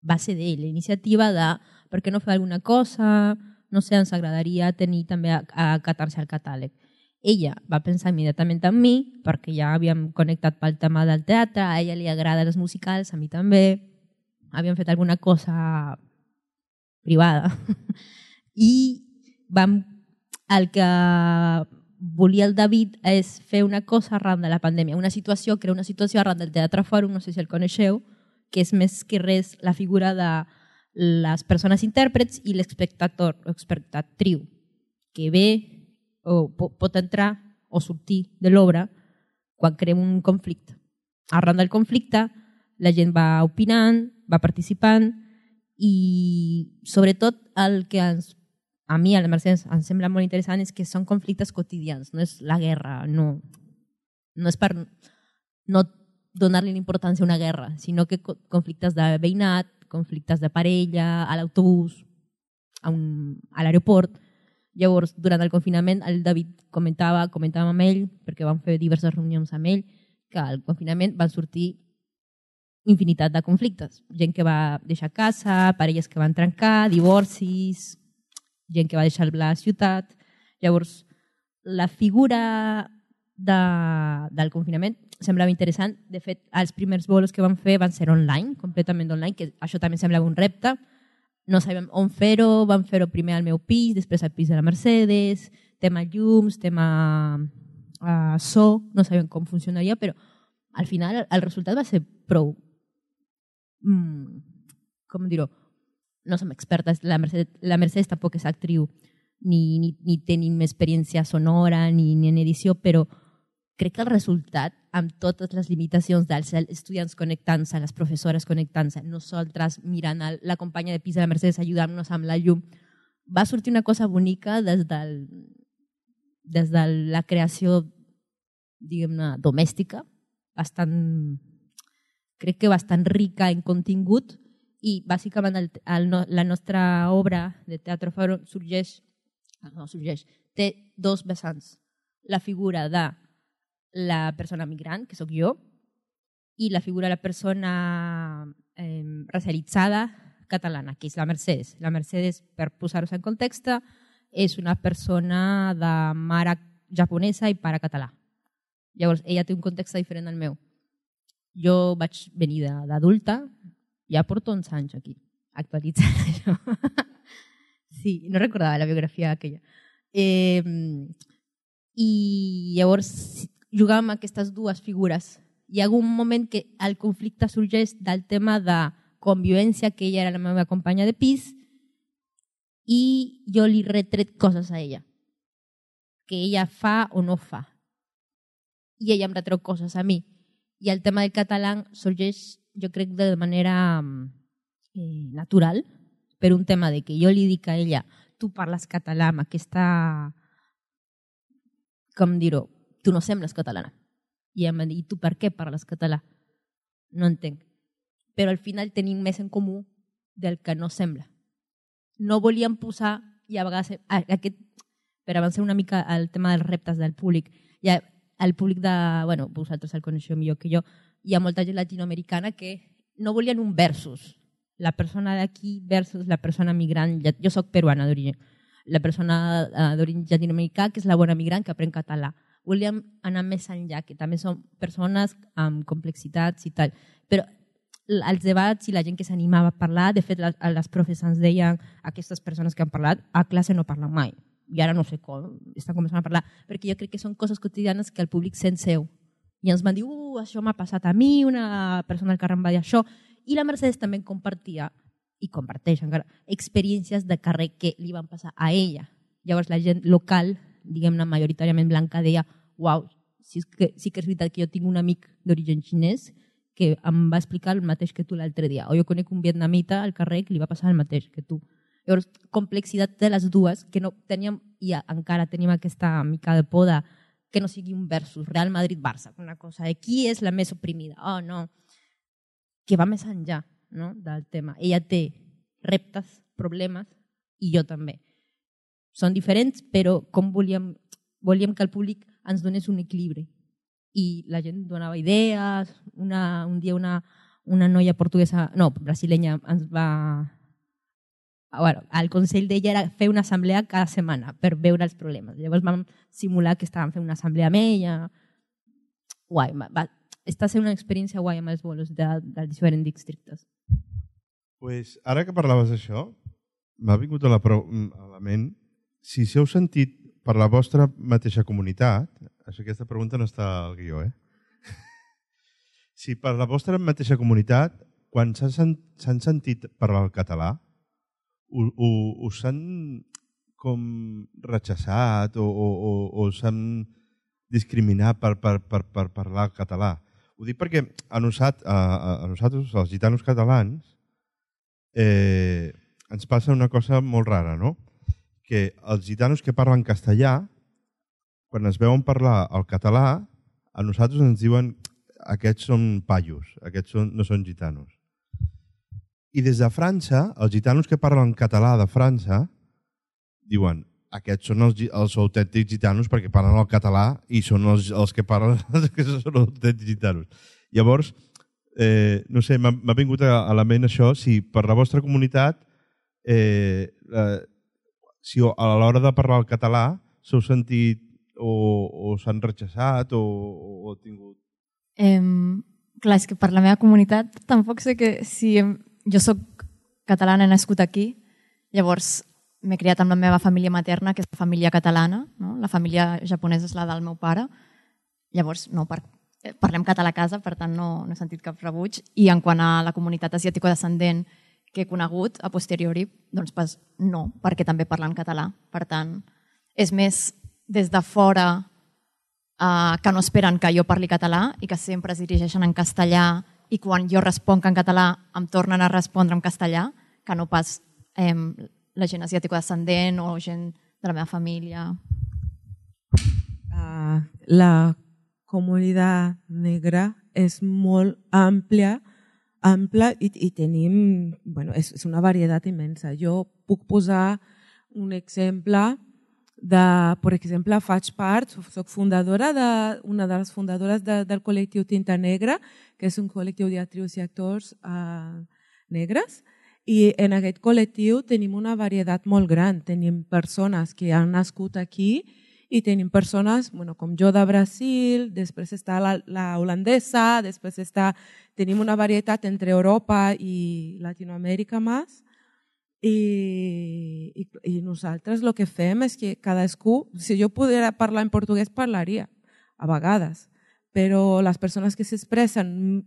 va ser d'ell, la iniciativa de per què no fer alguna cosa, no sé, ens agradaria tenir també a, a Catarsi al catàleg. Ella va pensar immediatament en mi, perquè ja havíem connectat pel tema del teatre, a ella li agraden els musicals, a mi també, havíem fet alguna cosa privada. I vam, el que volia el David és fer una cosa arran de la pandèmia, una situació, crear una situació arran del Teatre Fòrum, no sé si el coneixeu, que és més que res la figura de les persones intèrprets i l'espectator o espectatriu, que ve o pot entrar o sortir de l'obra quan creem un conflicte. Arran del conflicte la gent va opinant, va participant i sobretot el que ens, a mi, a la Mercedes, em sembla molt interessant és que són conflictes quotidians, no és la guerra, no, no és per no donar-li importància a una guerra, sinó que conflictes de veïnat, conflictes de parella, a l'autobús, a, a l'aeroport. Llavors, durant el confinament, el David comentava, comentàvem amb ell, perquè vam fer diverses reunions amb ell, que al confinament van sortir infinitat de conflictes. Gent que va deixar casa, parelles que van trencar, divorcis, gent que va deixar la ciutat. Llavors, la figura de, del confinament semblava interessant. De fet, els primers bolos que vam fer van ser online, completament online, que això també semblava un repte. No sabíem on fer-ho, vam fer-ho primer al meu pis, després al pis de la Mercedes, tema llums, tema uh, so, no sabíem com funcionaria, però al final el resultat va ser prou, mm, com dir-ho, no som expertes, la Mercedes, la Mercedes tampoc és actriu, ni, ni, ni tenim experiència sonora, ni, ni en edició, però crec que el resultat, amb totes les limitacions dels estudiants connectant-se, les professores connectant-se, nosaltres mirant la companya de pis de la Mercedes ajudant-nos amb la llum, va sortir una cosa bonica des, del, des de la creació, diguem-ne, domèstica, bastant, crec que bastant rica en contingut, i bàsicament el, el, la nostra obra de Teatre Fòrum sorgeix, no sorgeix, té dos vessants. La figura de la persona migrant, que sóc jo, i la figura de la persona eh, racialitzada catalana, que és la Mercedes. La Mercedes, per posar-vos en context, és una persona de mare japonesa i pare català. Llavors, ella té un context diferent al meu. Jo vaig venir d'adulta, ja porto uns anys aquí, actualitzant això. Sí, no recordava la biografia aquella. Eh, I llavors jugàvem amb aquestes dues figures hi ha un moment que el conflicte sorgeix del tema de convivència, que ella era la meva companya de pis, i jo li retret coses a ella, que ella fa o no fa. I ella em retreu coses a mi. I el tema del català sorgeix, jo crec, de manera eh, natural, per un tema de que jo li dic a ella, tu parles català amb aquesta, com dir-ho, tu no sembles catalana. I ella em va dir, tu per què parles català? No entenc. Però al final tenim més en comú del que no sembla. No volíem posar, i a vegades, aquest, per avançar una mica al tema dels reptes del públic, hi ha el públic de, bueno, vosaltres el coneixeu millor que jo, hi ha molta gent latinoamericana que no volien un versus. La persona d'aquí versus la persona migrant. Jo soc peruana d'origen. La persona d'origen llatinoamericà, que és la bona migrant que aprèn català. Volíem anar més enllà, que també són persones amb complexitats i tal. Però els debats i la gent que s'animava a parlar, de fet, les profes ens deien, aquestes persones que han parlat, a classe no parlen mai. I ara no sé com, estan començant a parlar, perquè jo crec que són coses quotidianes que el públic sent seu. I ens van dir, uh, això m'ha passat a mi, una persona al carrer em va dir això. I la Mercedes també compartia, i comparteix encara, experiències de carrer que li van passar a ella. Llavors la gent local, diguem-ne majoritàriament blanca, deia, uau, sí que, sí que és veritat que jo tinc un amic d'origen xinès que em va explicar el mateix que tu l'altre dia. O jo conec un vietnamita al carrer que li va passar el mateix que tu. Llavors, complexitat de les dues, que no teníem, i encara tenim aquesta mica de por de que no sigui un versus Real Madrid-Barça, una cosa de qui és la més oprimida. Oh, no. Que va més enllà, no?, del tema. Ella té reptes, problemes, i jo també. Són diferents, però com volíem, volíem que el públic ens donés un equilibri. I la gent donava idees. Una, un dia una, una noia portuguesa, no, brasilenya, ens va... Bueno, el consell d'ella era fer una assemblea cada setmana per veure els problemes. Llavors vam simular que estàvem fent una assemblea amb ella. Guai, va, està sent una experiència guai amb els bolos de, dels diferents districtes. Pues, ara que parlaves d'això, m'ha vingut a la, a la ment si s'heu sentit per la vostra mateixa comunitat, això, aquesta pregunta no està al guió, eh? Si per la vostra mateixa comunitat, quan s'han sentit parlar el català, us han com rechaçat o, o, o, o s'han discriminat per, per, per, per parlar el català. Ho dic perquè a, nosat, a, a nosaltres, els gitanos catalans, eh, ens passa una cosa molt rara, no? Que els gitanos que parlen castellà, quan es veuen parlar el català, a nosaltres ens diuen aquests són paios, aquests són, no són gitanos. I des de França, els gitanos que parlen català de França diuen aquests són els, els autèntics gitanos perquè parlen el català i són els, els que parlen que són els autèntics gitanos. Llavors, eh, no sé, m'ha vingut a, a la ment això, si per la vostra comunitat, eh, eh, si a l'hora de parlar el català s'heu sentit o, o s'han rechaçat o, o, o tingut... Eh, clar, és que per la meva comunitat tampoc sé que si... Hem... Jo soc catalana, he nascut aquí, llavors m'he criat amb la meva família materna, que és la família catalana, no? La família japonesa és la del meu pare, llavors no, per, parlem català a casa, per tant no, no he sentit cap rebuig. I en quant a la comunitat asiàtico-descendent que he conegut a posteriori, doncs pas, no, perquè també parlen català. Per tant, és més des de fora eh, que no esperen que jo parli català i que sempre es dirigeixen en castellà i quan jo responc en català em tornen a respondre en castellà, que no pas eh, la gent asiàtico-descendent o gent de la meva família. Uh, la comunitat negra és molt àmplia, ampla i, i tenim, bueno, és, és una varietat immensa. Jo puc posar un exemple de, per exemple, faig part, soc fundadora de, una de les fundadores de, del col·lectiu Tinta Negra, que és un col·lectiu d'actrius i actors uh, negres, i en aquest col·lectiu tenim una varietat molt gran. Tenim persones que han nascut aquí i tenim persones, bueno, com jo de Brasil, després està la, la holandesa, després està, tenim una varietat entre Europa i Latinoamèrica més. I, i, i nosaltres el que fem és que cadascú, si jo pogués parlar en portuguès parlaria, a vegades, però les persones que s'expressen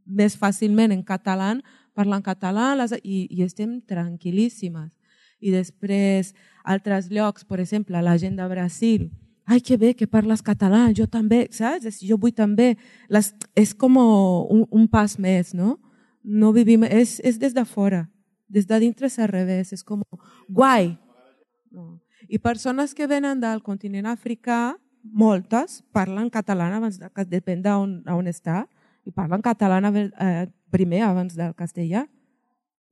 més fàcilment en català parlen català les, i, i estem tranquil·líssimes. I després, altres llocs, per exemple, la gent de Brasil, ai, que bé que parles català, jo també, saps? Jo vull també. Les, és com un, un pas més, no? No vivim, és, és des de fora. Des de dintre és al revés, és com guai. No. I persones que venen del continent africà, moltes, parlen català abans, de, depèn d'on on està, i parlen català eh, primer abans del castellà.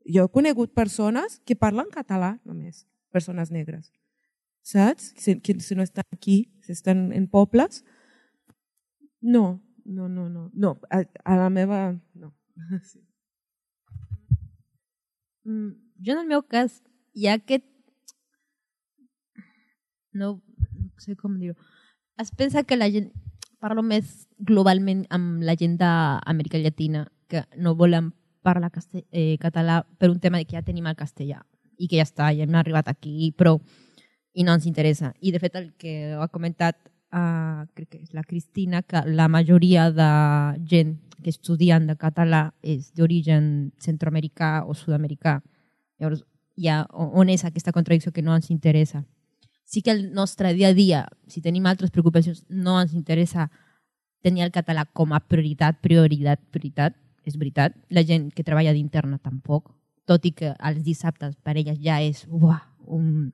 Jo he conegut persones que parlen català només, persones negres. Saps? Si, si no estan aquí, si estan en pobles, no, no, no, no. no a, a la meva... no. Sí. Jo en el meu cas hi ha aquest... No, no sé com dir-ho. Es pensa que la gent... Parlo més globalment amb la gent d'Amèrica Llatina que no volen parlar castell, eh, català per un tema de que ja tenim el castellà i que ja està, ja hem arribat aquí, però i no ens interessa. I de fet el que ha comentat uh, crec que és la Cristina, que la majoria de gent que estudien de català és d'origen centroamericà o sud-americà. Llavors, ja, on és aquesta contradicció que no ens interessa? Sí que el nostre dia a dia, si tenim altres preocupacions, no ens interessa tenir el català com a prioritat, prioritat, prioritat. És veritat, la gent que treballa d'interna tampoc, tot i que els dissabtes per elles ja és uah, un,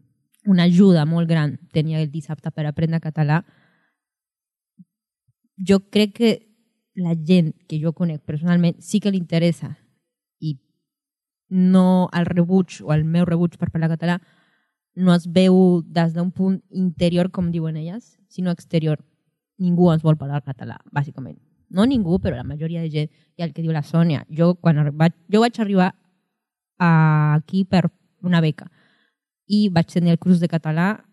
una ajuda molt gran tenir el dissabte per aprendre català. Jo crec que la gent que jo conec personalment sí que li interessa i no el rebuig o el meu rebuig per parlar català no es veu des d'un punt interior, com diuen elles, sinó exterior. Ningú ens vol parlar català, bàsicament. No ningú, però la majoria de gent. I el que diu la Sònia, jo, quan vaig, jo vaig arribar aquí per una beca i vaig tenir el curs de català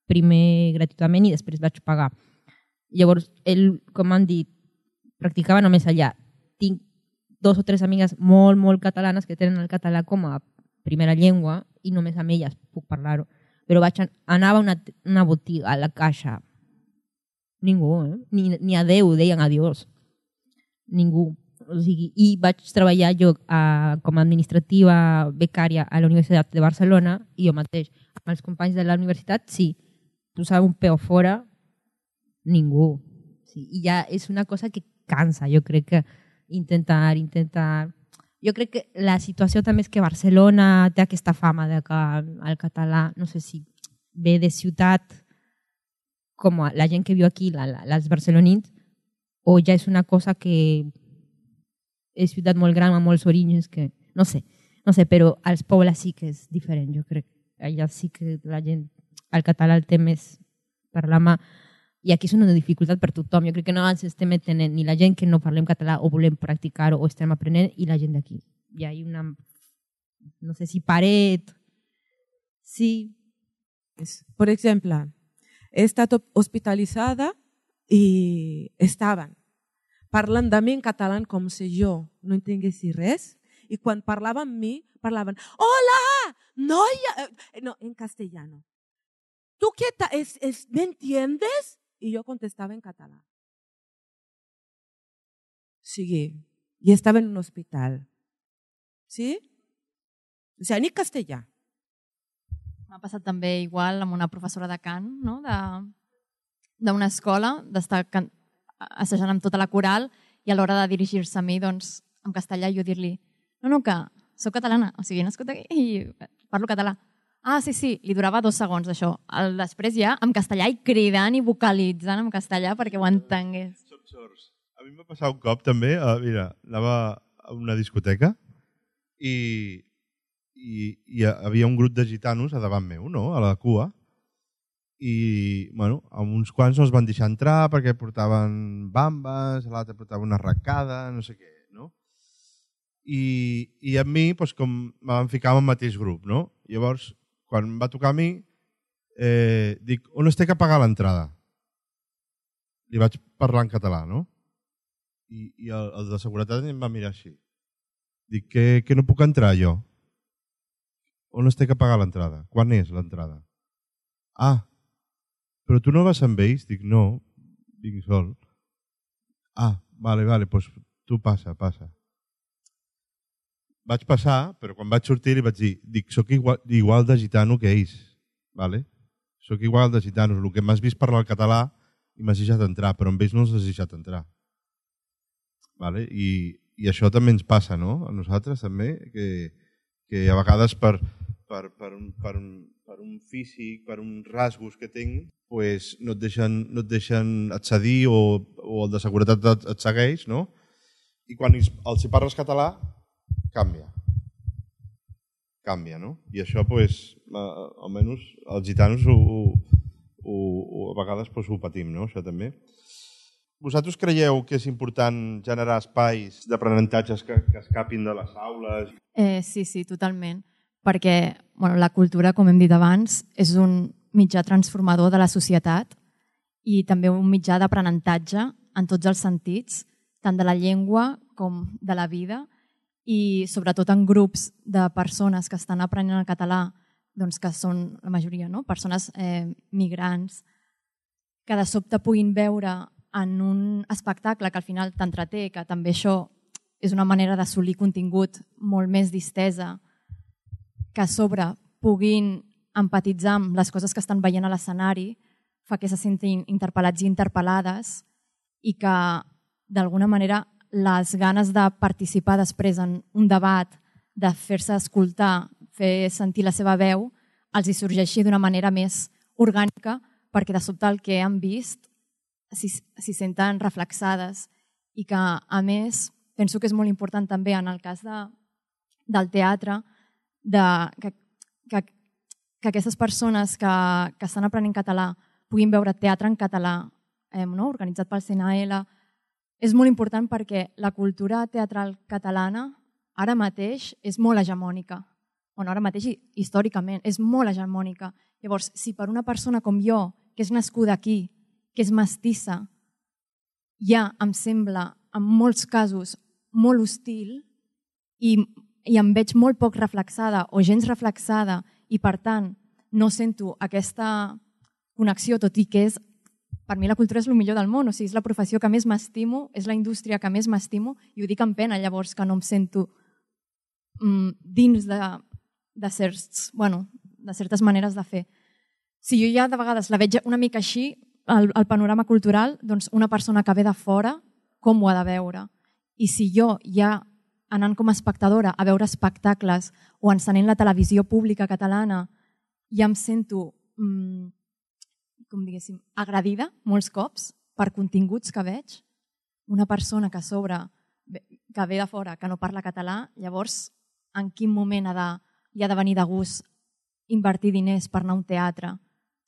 primer gratuïtament i després vaig pagar. Llavors, ell, com han dit, practicava només allà. Tinc dos o tres amigues molt, molt catalanes que tenen el català com a primera llengua i només amb elles puc parlar-ho. Però vaig anava a una, una botiga, a la caixa. Ningú, eh? Ni, ni adeu, deien adiós. Ningú. O sigui, i vaig treballar jo a, com a administrativa becària a la Universitat de Barcelona i jo mateix, amb els companys de la universitat, sí, posava un peu fora, ningú. Sí, i ja és una cosa que cansa, jo crec que intentar, intentar... Jo crec que la situació també és que Barcelona té aquesta fama de que el català, no sé si ve de ciutat com la gent que viu aquí, la, la, els barcelonins, o ja és una cosa que és ciutat molt gran amb molts orígens que, no sé, no sé, però als pobles sí que és diferent, jo crec. Allà sí que la gent, el català el té més per la mà i aquí és una dificultat per tothom. Jo crec que no ens estem entenent ni la gent que no parlem català o volem practicar-ho o estem aprenent i la gent d'aquí. Hi ha una, no sé si paret, sí. Per exemple, he estat hospitalitzada i estaven parlant de mi en català com si jo no entenguessi res i quan parlaven amb mi parlaven hola, noia, no, en castellano. ¿Tú qué tal? ¿Es, es, ¿Me entiendes? Y yo contestaba en catalán. Sí, y estaba en un hospital. ¿Sí? O sea, ni castellà. M'ha passat també igual amb una professora de cant, no? d'una escola, d'estar assajant amb tota la coral i a l'hora de dirigir-se a mi, doncs, en castellà, jo dir-li no, no, que soc catalana, o sigui, he nascut aquí i parlo català. Ah, sí, sí, li durava dos segons d'això. Després ja, en castellà, i cridant i vocalitzant en castellà perquè ho entengués. A mi m'ha passat un cop també, uh, mira, anava a una discoteca i, i, i havia un grup de gitanos a davant meu, no?, a la cua, i, bueno, amb uns quants no els van deixar entrar perquè portaven bambes, l'altre portava una arracada, no sé què, no? I, i a mi, doncs, com me van ficar en el mateix grup, no? Llavors, quan va tocar a mi, eh, dic, on es té que pagar l'entrada? Li vaig parlar en català, no? I, i el, el de seguretat em va mirar així. Dic, que, que no puc entrar jo? On es té que pagar l'entrada? Quan és l'entrada? Ah, però tu no vas amb ells? Dic, no, vinc sol. Ah, vale, vale, doncs tu passa, passa. Vaig passar, però quan vaig sortir li vaig dir, dic, soc igual, igual de gitano que ells, vale? Soc igual de gitanos. El que m'has vist parlar el català i m'has deixat entrar, però amb ells no els has deixat entrar. Vale? I, I això també ens passa, no? A nosaltres també, que, que a vegades per, per, per, un, per, un, per un físic, per uns rasgos que tinc, pues no et deixen, no et deixen accedir o, o el de seguretat et, et segueix, no? I quan els, els hi parles català, canvia. Canvia, no? I això, pues, almenys els gitanos ho, ho, ho, a vegades pues, ho patim, no? Això també. Vosaltres creieu que és important generar espais d'aprenentatges que, que escapin de les aules? Eh, sí, sí, totalment. Perquè bueno, la cultura, com hem dit abans, és un mitjà transformador de la societat i també un mitjà d'aprenentatge en tots els sentits, tant de la llengua com de la vida, i sobretot en grups de persones que estan aprenent el català, doncs que són la majoria, no? Persones eh, migrants, que de sobte puguin veure en un espectacle que al final t'entreté, que també això és una manera d'assolir contingut molt més distesa, que a sobre puguin empatitzar amb les coses que estan veient a l'escenari, fa que se sentin interpel·lats i interpel·lades i que d'alguna manera les ganes de participar després en un debat, de fer-se escoltar, fer sentir la seva veu, els hi sorgeixi d'una manera més orgànica perquè de sobte el que han vist s'hi senten reflexades i que, a més, penso que és molt important també en el cas de, del teatre de, que, que, que aquestes persones que, que estan aprenent català puguin veure teatre en català, eh, no? Organitzat pel C N L. És molt important perquè la cultura teatral catalana ara mateix és molt hegemònica. Bueno, ara mateix històricament és molt hegemònica. Llavors, si per una persona com jo, que és nascuda aquí, que és mestissa, ja em sembla, en molts casos, molt hostil i, i em veig molt poc reflexada o gens reflexada i, per tant, no sento aquesta connexió, tot i que és per mi la cultura és el millor del món, o sigui, és la professió que més m'estimo, és la indústria que més m'estimo i ho dic amb pena, llavors, que no em sento mm, dins de, de, certs, bueno, de certes maneres de fer. Si jo ja de vegades la veig una mica així, el, el panorama cultural, doncs una persona que ve de fora, com ho ha de veure? I si jo ja anant com a espectadora a veure espectacles o encenent la televisió pública catalana ja em sento mm, com diguéssim, agredida molts cops per continguts que veig, una persona que a sobre, que ve de fora, que no parla català, llavors en quin moment ha de, hi ha de venir de gust invertir diners per anar a un teatre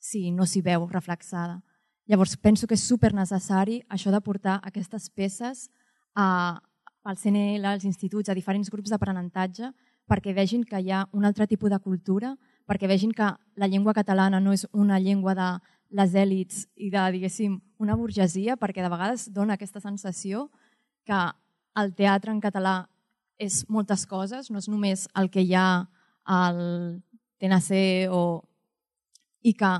si no s'hi veu reflexada. Llavors penso que és supernecessari això de portar aquestes peces a, al C N L, als instituts, a diferents grups d'aprenentatge, perquè vegin que hi ha un altre tipus de cultura, perquè vegin que la llengua catalana no és una llengua de les èlits i de, diguéssim, una burgesia, perquè de vegades dona aquesta sensació que el teatre en català és moltes coses, no és només el que hi ha al T N C o... i que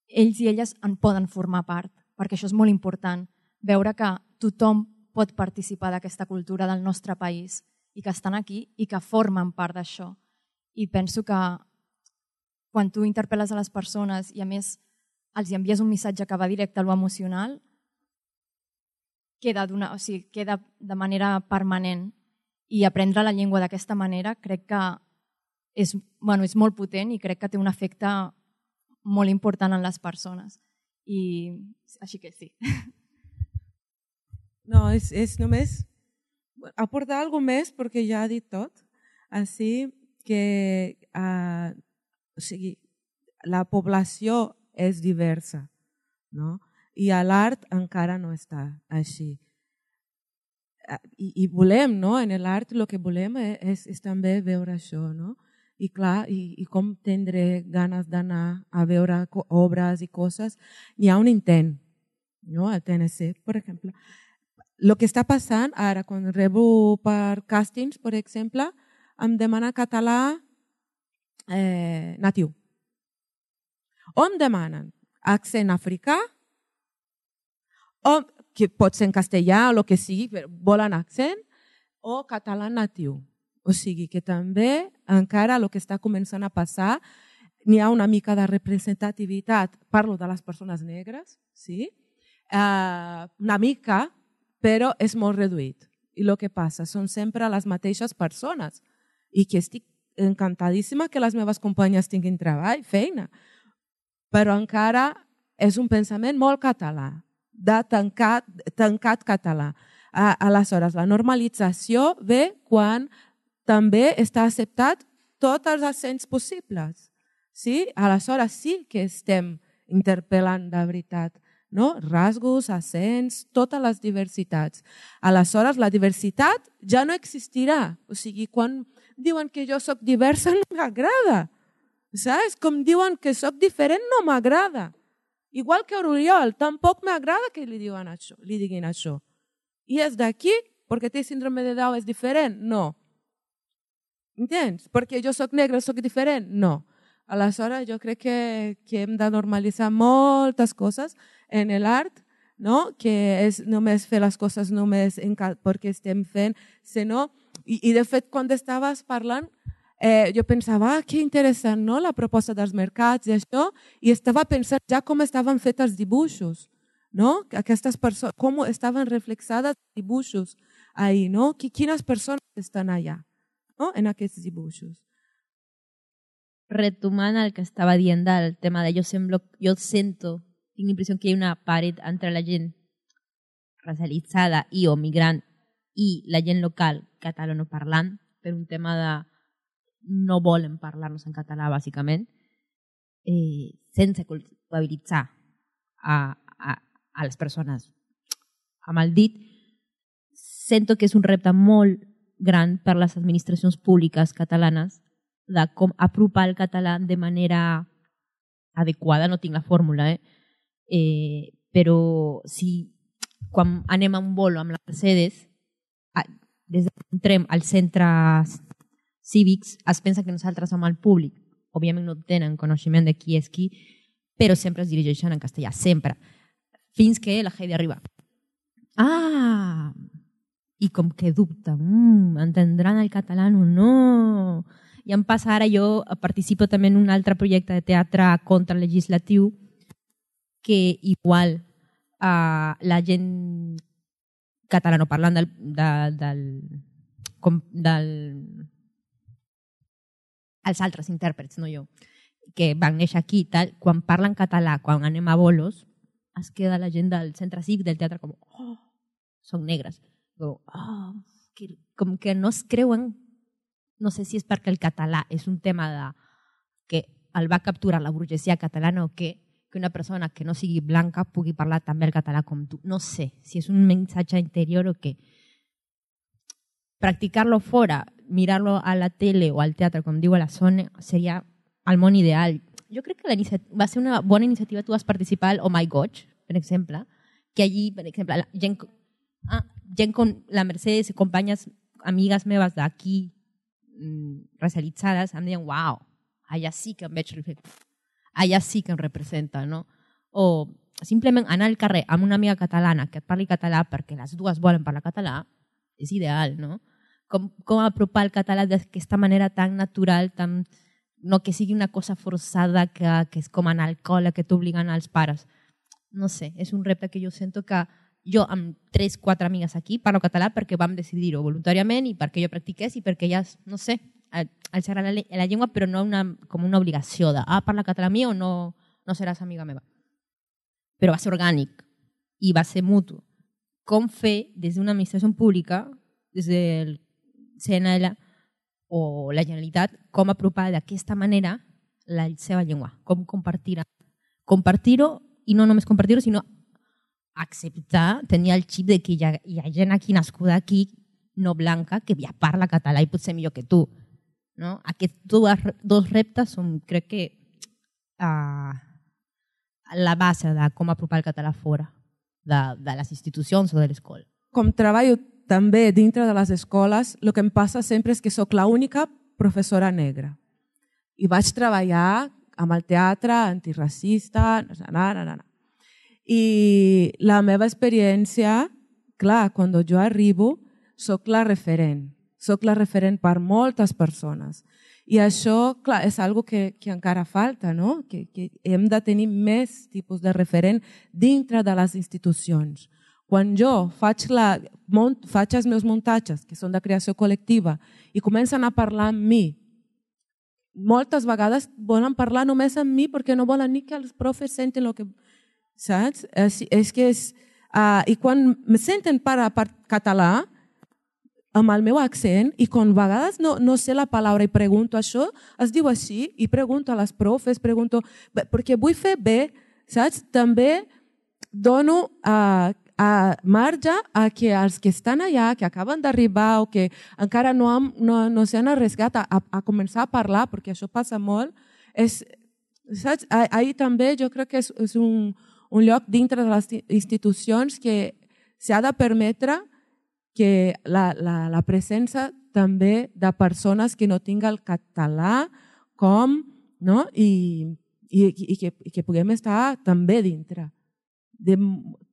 ells i elles en poden formar part, perquè això és molt important, veure que tothom pot participar d'aquesta cultura del nostre país i que estan aquí i que formen part d'això. I penso que quan tu interpel·les a les persones i a més els envies un missatge que va directe a lo emocional, queda, o sigui, queda de manera permanent i aprendre la llengua d'aquesta manera crec que és, bueno, és molt potent i crec que té un efecte molt important en les persones. I així que sí. No, és, és només aportar alguna més perquè ja ha dit tot. Així que uh, o sigui, la població és diversa, no? I l'art encara no està així. I, i volem, no? En l'art el que volem és, és també veure això, no? I clar, i, i com tindré ganes d'anar a veure obres i coses. Hi ha un intent, no? Al T N C, per exemple. El que està passant ara, quan rebo per càstings, per exemple, em demana català eh, natiu. O em demanen accent africà, o que pot ser en castellà o el que sigui, però volen accent, o català natiu. O sigui que també encara el que està començant a passar, n'hi ha una mica de representativitat, parlo de les persones negres, sí? Uh, una mica, però és molt reduït. I el que passa són sempre les mateixes persones i que estic encantadíssima que les meves companyes tinguin treball, feina, però encara és un pensament molt català, de tancat, tancat català. Uh, aleshores, la normalització ve quan també està acceptat tots els accents possibles. Sí? Aleshores sí que estem interpel·lant de veritat, no? Rasgos, accents, totes les diversitats. Aleshores la diversitat ja no existirà. O sigui, quan diuen que jo soc diversa no m'agrada. Saps? Com diuen que soc diferent no m'agrada. Igual que Oriol, tampoc m'agrada que li, diuen això, li diguin això. I és d'aquí, perquè té síndrome de Down és diferent? No. Entens? Perquè jo soc negra, soc diferent? No. Aleshores, jo crec que, que hem de normalitzar moltes coses en l'art, no? Que és només fer les coses només en, perquè estem fent, sinó, i, i de fet, quan estaves parlant, eh, jo pensava, ah, que interessant, no? La proposta dels mercats i això, i estava pensant ja com estaven fets els dibuixos, no? Aquestes persones, com estaven reflexades els dibuixos ahí, no? Quines persones estan allà, no? En aquests dibuixos. Retomant el que estava dient del tema de jo, semblo, jo sento, tinc l'impressió que hi ha una paret entre la gent racialitzada i o migrant i la gent local catalanoparlant per un tema de no volen parlar-nos en català, bàsicament, eh, sense culpabilitzar a, a, a les persones amb el dit. Sento que és un repte molt gran per les administracions públiques catalanes de com apropar el català de manera adequada, no tinc la fórmula, eh? Eh, però si quan anem a un bolo amb la Mercedes, des que entrem als centres cívics, es pensa que nosaltres som el públic. Òbviament no tenen coneixement de qui és qui, però sempre es dirigeixen en castellà, sempre. Fins que la Heidi arriba. Ah! I com que dubta, mm, entendran el català o no? I em passa ara, jo participo també en un altre projecte de teatre contralegislatiu que igual uh, la gent catalanoparlant del, de, del, com, del els altres intèrprets, no jo, que van néixer aquí i tal, quan parlen català, quan anem a bolos, es queda la gent del centre cívic del teatre com, oh, són negres. Com, oh, que, com que no es creuen. No sé si és perquè el català és un tema de, que el va capturar la burgesia catalana o què, que una persona que no sigui blanca pugui parlar també el català com tu. No sé si és un missatge interior o què. Practicar-lo fora, mirar-lo a la tele o al teatre, com diu a la Sona, seria el món ideal. Jo crec que la va ser una bona iniciativa. Tu vas participar al Oh My Gosh, per exemple, que allí, per exemple, la gent, ah, gent com la Mercedes i companyes, amigues meves d'aquí, racialitzades, em deien, uau, allà sí que em veig reflectat, allà sí que em representa, no? O simplement anar al carrer amb una amiga catalana que et parli català perquè les dues volen parlar català, és ideal, no? Com, com apropar el català d'aquesta manera tan natural, tan, no que sigui una cosa forçada, que, que és com anar al col·le, que t'obliguen als pares. No sé, és un repte que jo sento que jo amb tres, quatre amigues aquí parlo català perquè vam decidir-ho voluntàriament i perquè jo practiqués i perquè ja, no sé, els agrada la, la llengua però no una, com una obligació de ah, parla català mi o no, no seràs amiga meva. Però va ser orgànic i va ser mutu. Com fer des d'una administració pública, des del C N L o la Generalitat, com apropar d'aquesta manera la seva llengua, com compartir-ho. Compartir-ho i no només compartir-ho, sinó acceptar, tenir el xip de que hi ha, hi ha gent aquí nascuda aquí, no blanca, que ja parla català i potser millor que tu. No? Aquests dos, dos reptes són, crec que, uh, la base de com apropar el català fora de, de les institucions o de l'escola. Com treballo també dintre de les escoles, el que em passa sempre és que sóc l'única professora negra. I vaig treballar amb el teatre antiracista, na, na, na, na. I la meva experiència, clar, quan jo arribo, soc la referent. Soc la referent per moltes persones. I això, clar, és algo que, que encara falta, no? Que, que hem de tenir més tipus de referent dintre de les institucions. Quan jo faig, la, mont, faig els meus muntatges, que són de creació col·lectiva, i comencen a parlar amb mi, moltes vegades volen parlar només amb mi perquè no volen ni que els profes sentin el que... Saps? És, és que és... Uh, I quan me senten parlar per català, amb el meu accent, i quan a vegades no, no sé la paraula i pregunto això, es diu així, i pregunto a les profes, pregunto, perquè vull fer bé, saps? També dono a, a marge a que els que estan allà, que acaben d'arribar o que encara no, han, no, no s'han arriscat a, a, a començar a parlar, perquè això passa molt, és, saps? Ahir també jo crec que és, és un, un lloc dintre de les institucions que s'ha de permetre que la, la, la presència també de persones que no tinguin el català com, no? I, i, i, que, i que puguem estar també dintre. De,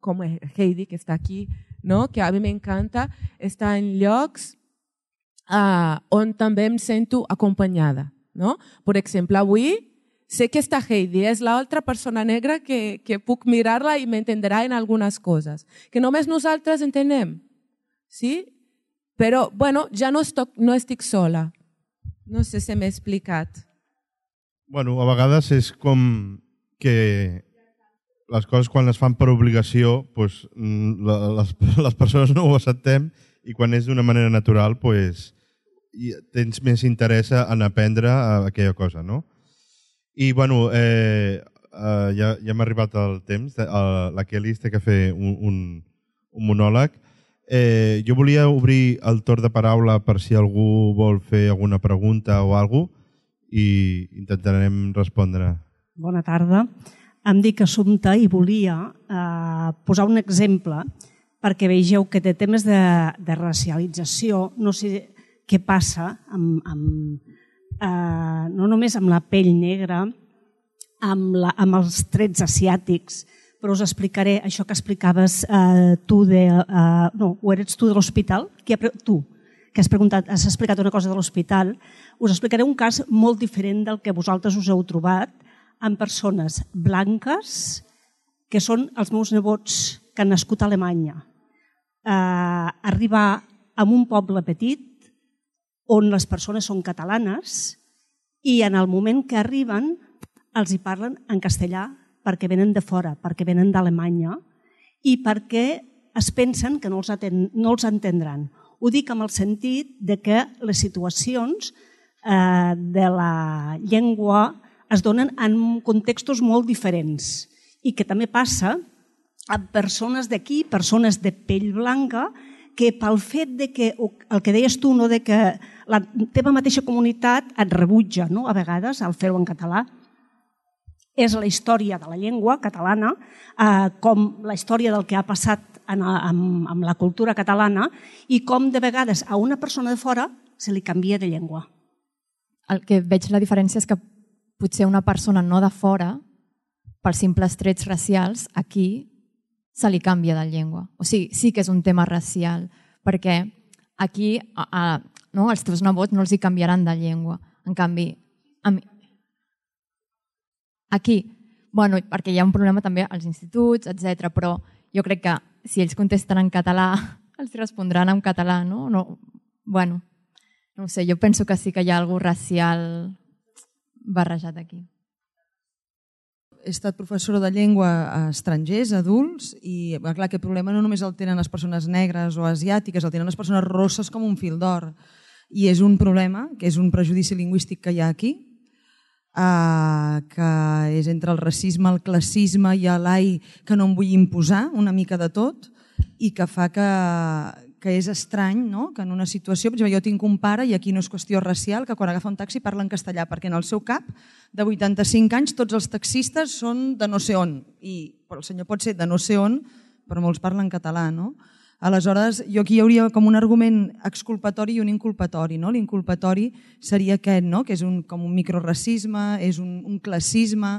com Heidi, que està aquí, no? Que a mi m'encanta estar en llocs uh, on també em sento acompanyada. No? Per exemple, avui sé que està Heidi, és l'altra persona negra que, que puc mirar-la i m'entendrà en algunes coses, que només nosaltres entenem. Sí? Però, bueno, ja no, estoc, no estic sola. No sé si m'he explicat. Bueno, a vegades és com que les coses quan les fan per obligació, pues, les, les persones no ho acceptem i quan és d'una manera natural, pues, tens més interès en aprendre aquella cosa, no? I, bueno, eh, eh, ja, ja m'ha arribat el temps. La Kelly té que fer un, un, un monòleg. Eh, jo volia obrir el torn de paraula per si algú vol fer alguna pregunta o alguna cosa i intentarem respondre. Bona tarda. Em dic Assumpta i volia eh, posar un exemple perquè vegeu que de temes de, de racialització no sé què passa amb, amb, eh, no només amb la pell negra, amb, la, amb els trets asiàtics, però us explicaré això que explicaves eh, tu de... Eh, no, o eres tu de l'hospital? Tu, que has, preguntat, has explicat una cosa de l'hospital. Us explicaré un cas molt diferent del que vosaltres us heu trobat amb persones blanques que són els meus nebots que han nascut a Alemanya. Eh, arribar a un poble petit on les persones són catalanes i en el moment que arriben els hi parlen en castellà perquè venen de fora, perquè venen d'Alemanya i perquè es pensen que no els, aten no els entendran. Ho dic amb el sentit de que les situacions eh, de la llengua es donen en contextos molt diferents i que també passa amb persones d'aquí, persones de pell blanca, que pel fet de que, el que deies tu, no, de que la teva mateixa comunitat et rebutja, no, a vegades, al fer-ho en català, és la història de la llengua catalana, eh, com la història del que ha passat en, amb, amb la cultura catalana i com de vegades a una persona de fora se li canvia de llengua. El que veig la diferència és que potser una persona no de fora, pels simples trets racials, aquí se li canvia de llengua. O sigui, sí que és un tema racial, perquè aquí a, a, no, els teus nebots no els hi canviaran de llengua. En canvi, a mi, aquí, bueno, perquè hi ha un problema també als instituts, etcètera, però jo crec que si ells contesten en català, els respondran en català, no? no bueno, no ho sé, jo penso que sí que hi ha alguna racial barrejat aquí. He estat professora de llengua a estrangers, adults, i clar, aquest problema no només el tenen les persones negres o asiàtiques, el tenen les persones rosses com un fil d'or. I és un problema, que és un prejudici lingüístic que hi ha aquí, eh, que és entre el racisme, el classisme i l'ai que no em vull imposar, una mica de tot, i que fa que, que és estrany, no? Que en una situació, per exemple, jo tinc un pare, i aquí no és qüestió racial, que quan agafa un taxi parla en castellà, perquè en el seu cap, de vuitanta-cinc anys, tots els taxistes són de no sé on, i però el senyor pot ser de no sé on, però molts parlen català, no? Aleshores, jo aquí hi hauria com un argument exculpatori i un inculpatori, no? L'inculpatori seria aquest, no? Que és un, com un microracisme, és un, un classisme,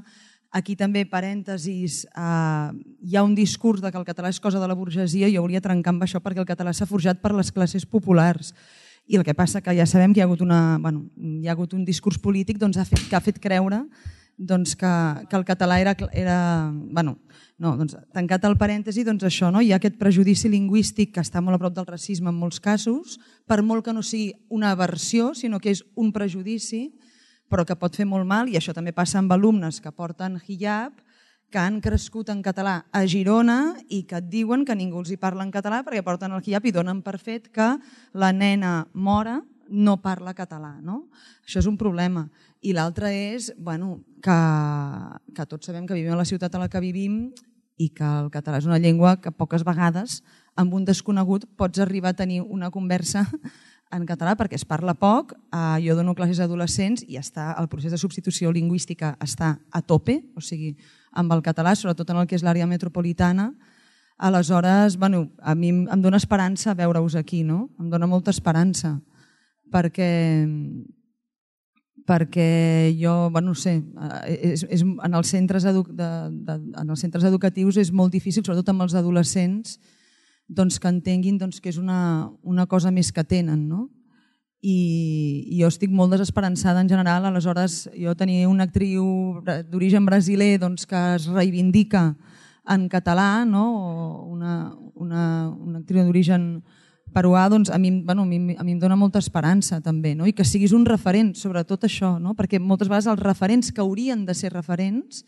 Aquí també, parèntesis, eh, hi ha un discurs de que el català és cosa de la burgesia i jo volia trencar amb això perquè el català s'ha forjat per les classes populars. I el que passa que ja sabem que hi ha hagut, una, bueno, hi ha hagut un discurs polític doncs, ha fet, que ha fet creure doncs, que, que el català era... era bueno, no, doncs, tancat el parèntesi, doncs això, no? Hi ha aquest prejudici lingüístic que està molt a prop del racisme en molts casos, per molt que no sigui una aversió, sinó que és un prejudici, però que pot fer molt mal, i això també passa amb alumnes que porten hijab, que han crescut en català a Girona i que et diuen que ningú els hi parla en català perquè porten el hijab i donen per fet que la nena mora no parla català. No? Això és un problema. I l'altre és bueno, que, que tots sabem que vivim a la ciutat a la que vivim i que el català és una llengua que poques vegades amb un desconegut pots arribar a tenir una conversa en català perquè es parla poc. Eh, jo dono classes a adolescents i està, el procés de substitució lingüística està a tope, o sigui, amb el català, sobretot en el que és l'àrea metropolitana. Aleshores, bueno, a mi em dona esperança veure-us aquí, no? Em dona molta esperança, perquè, perquè jo, bueno, no sé, és, és, en, els centres edu, de, de, en els centres educatius és molt difícil, sobretot amb els adolescents, doncs, que entenguin doncs, que és una, una cosa més que tenen. No? I, I jo estic molt desesperançada en general. Aleshores, jo tenia una actriu d'origen brasiler doncs, que es reivindica en català, no? o una, una, una actriu d'origen peruà, doncs, a, mi, bueno, a, mi, a mi em dona molta esperança també, no? I que siguis un referent sobre tot això, no? Perquè moltes vegades els referents que haurien de ser referents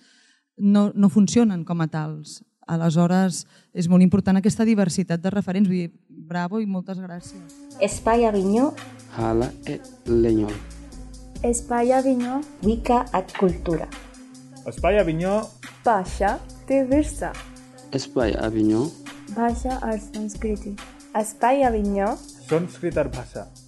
no, no funcionen com a tals. Aleshores, és molt important aquesta diversitat de referents. Vull dir, bravo i moltes gràcies. Espai Avinyó. Hala e Lenyol. Espai Avinyó. Wicca et Cultura. Espai Avinyó. Bhasha te Virsa. Espai Avinyó. Bhasha और संस्कृति. Espai Avinyó. Sanskrit और भाषा.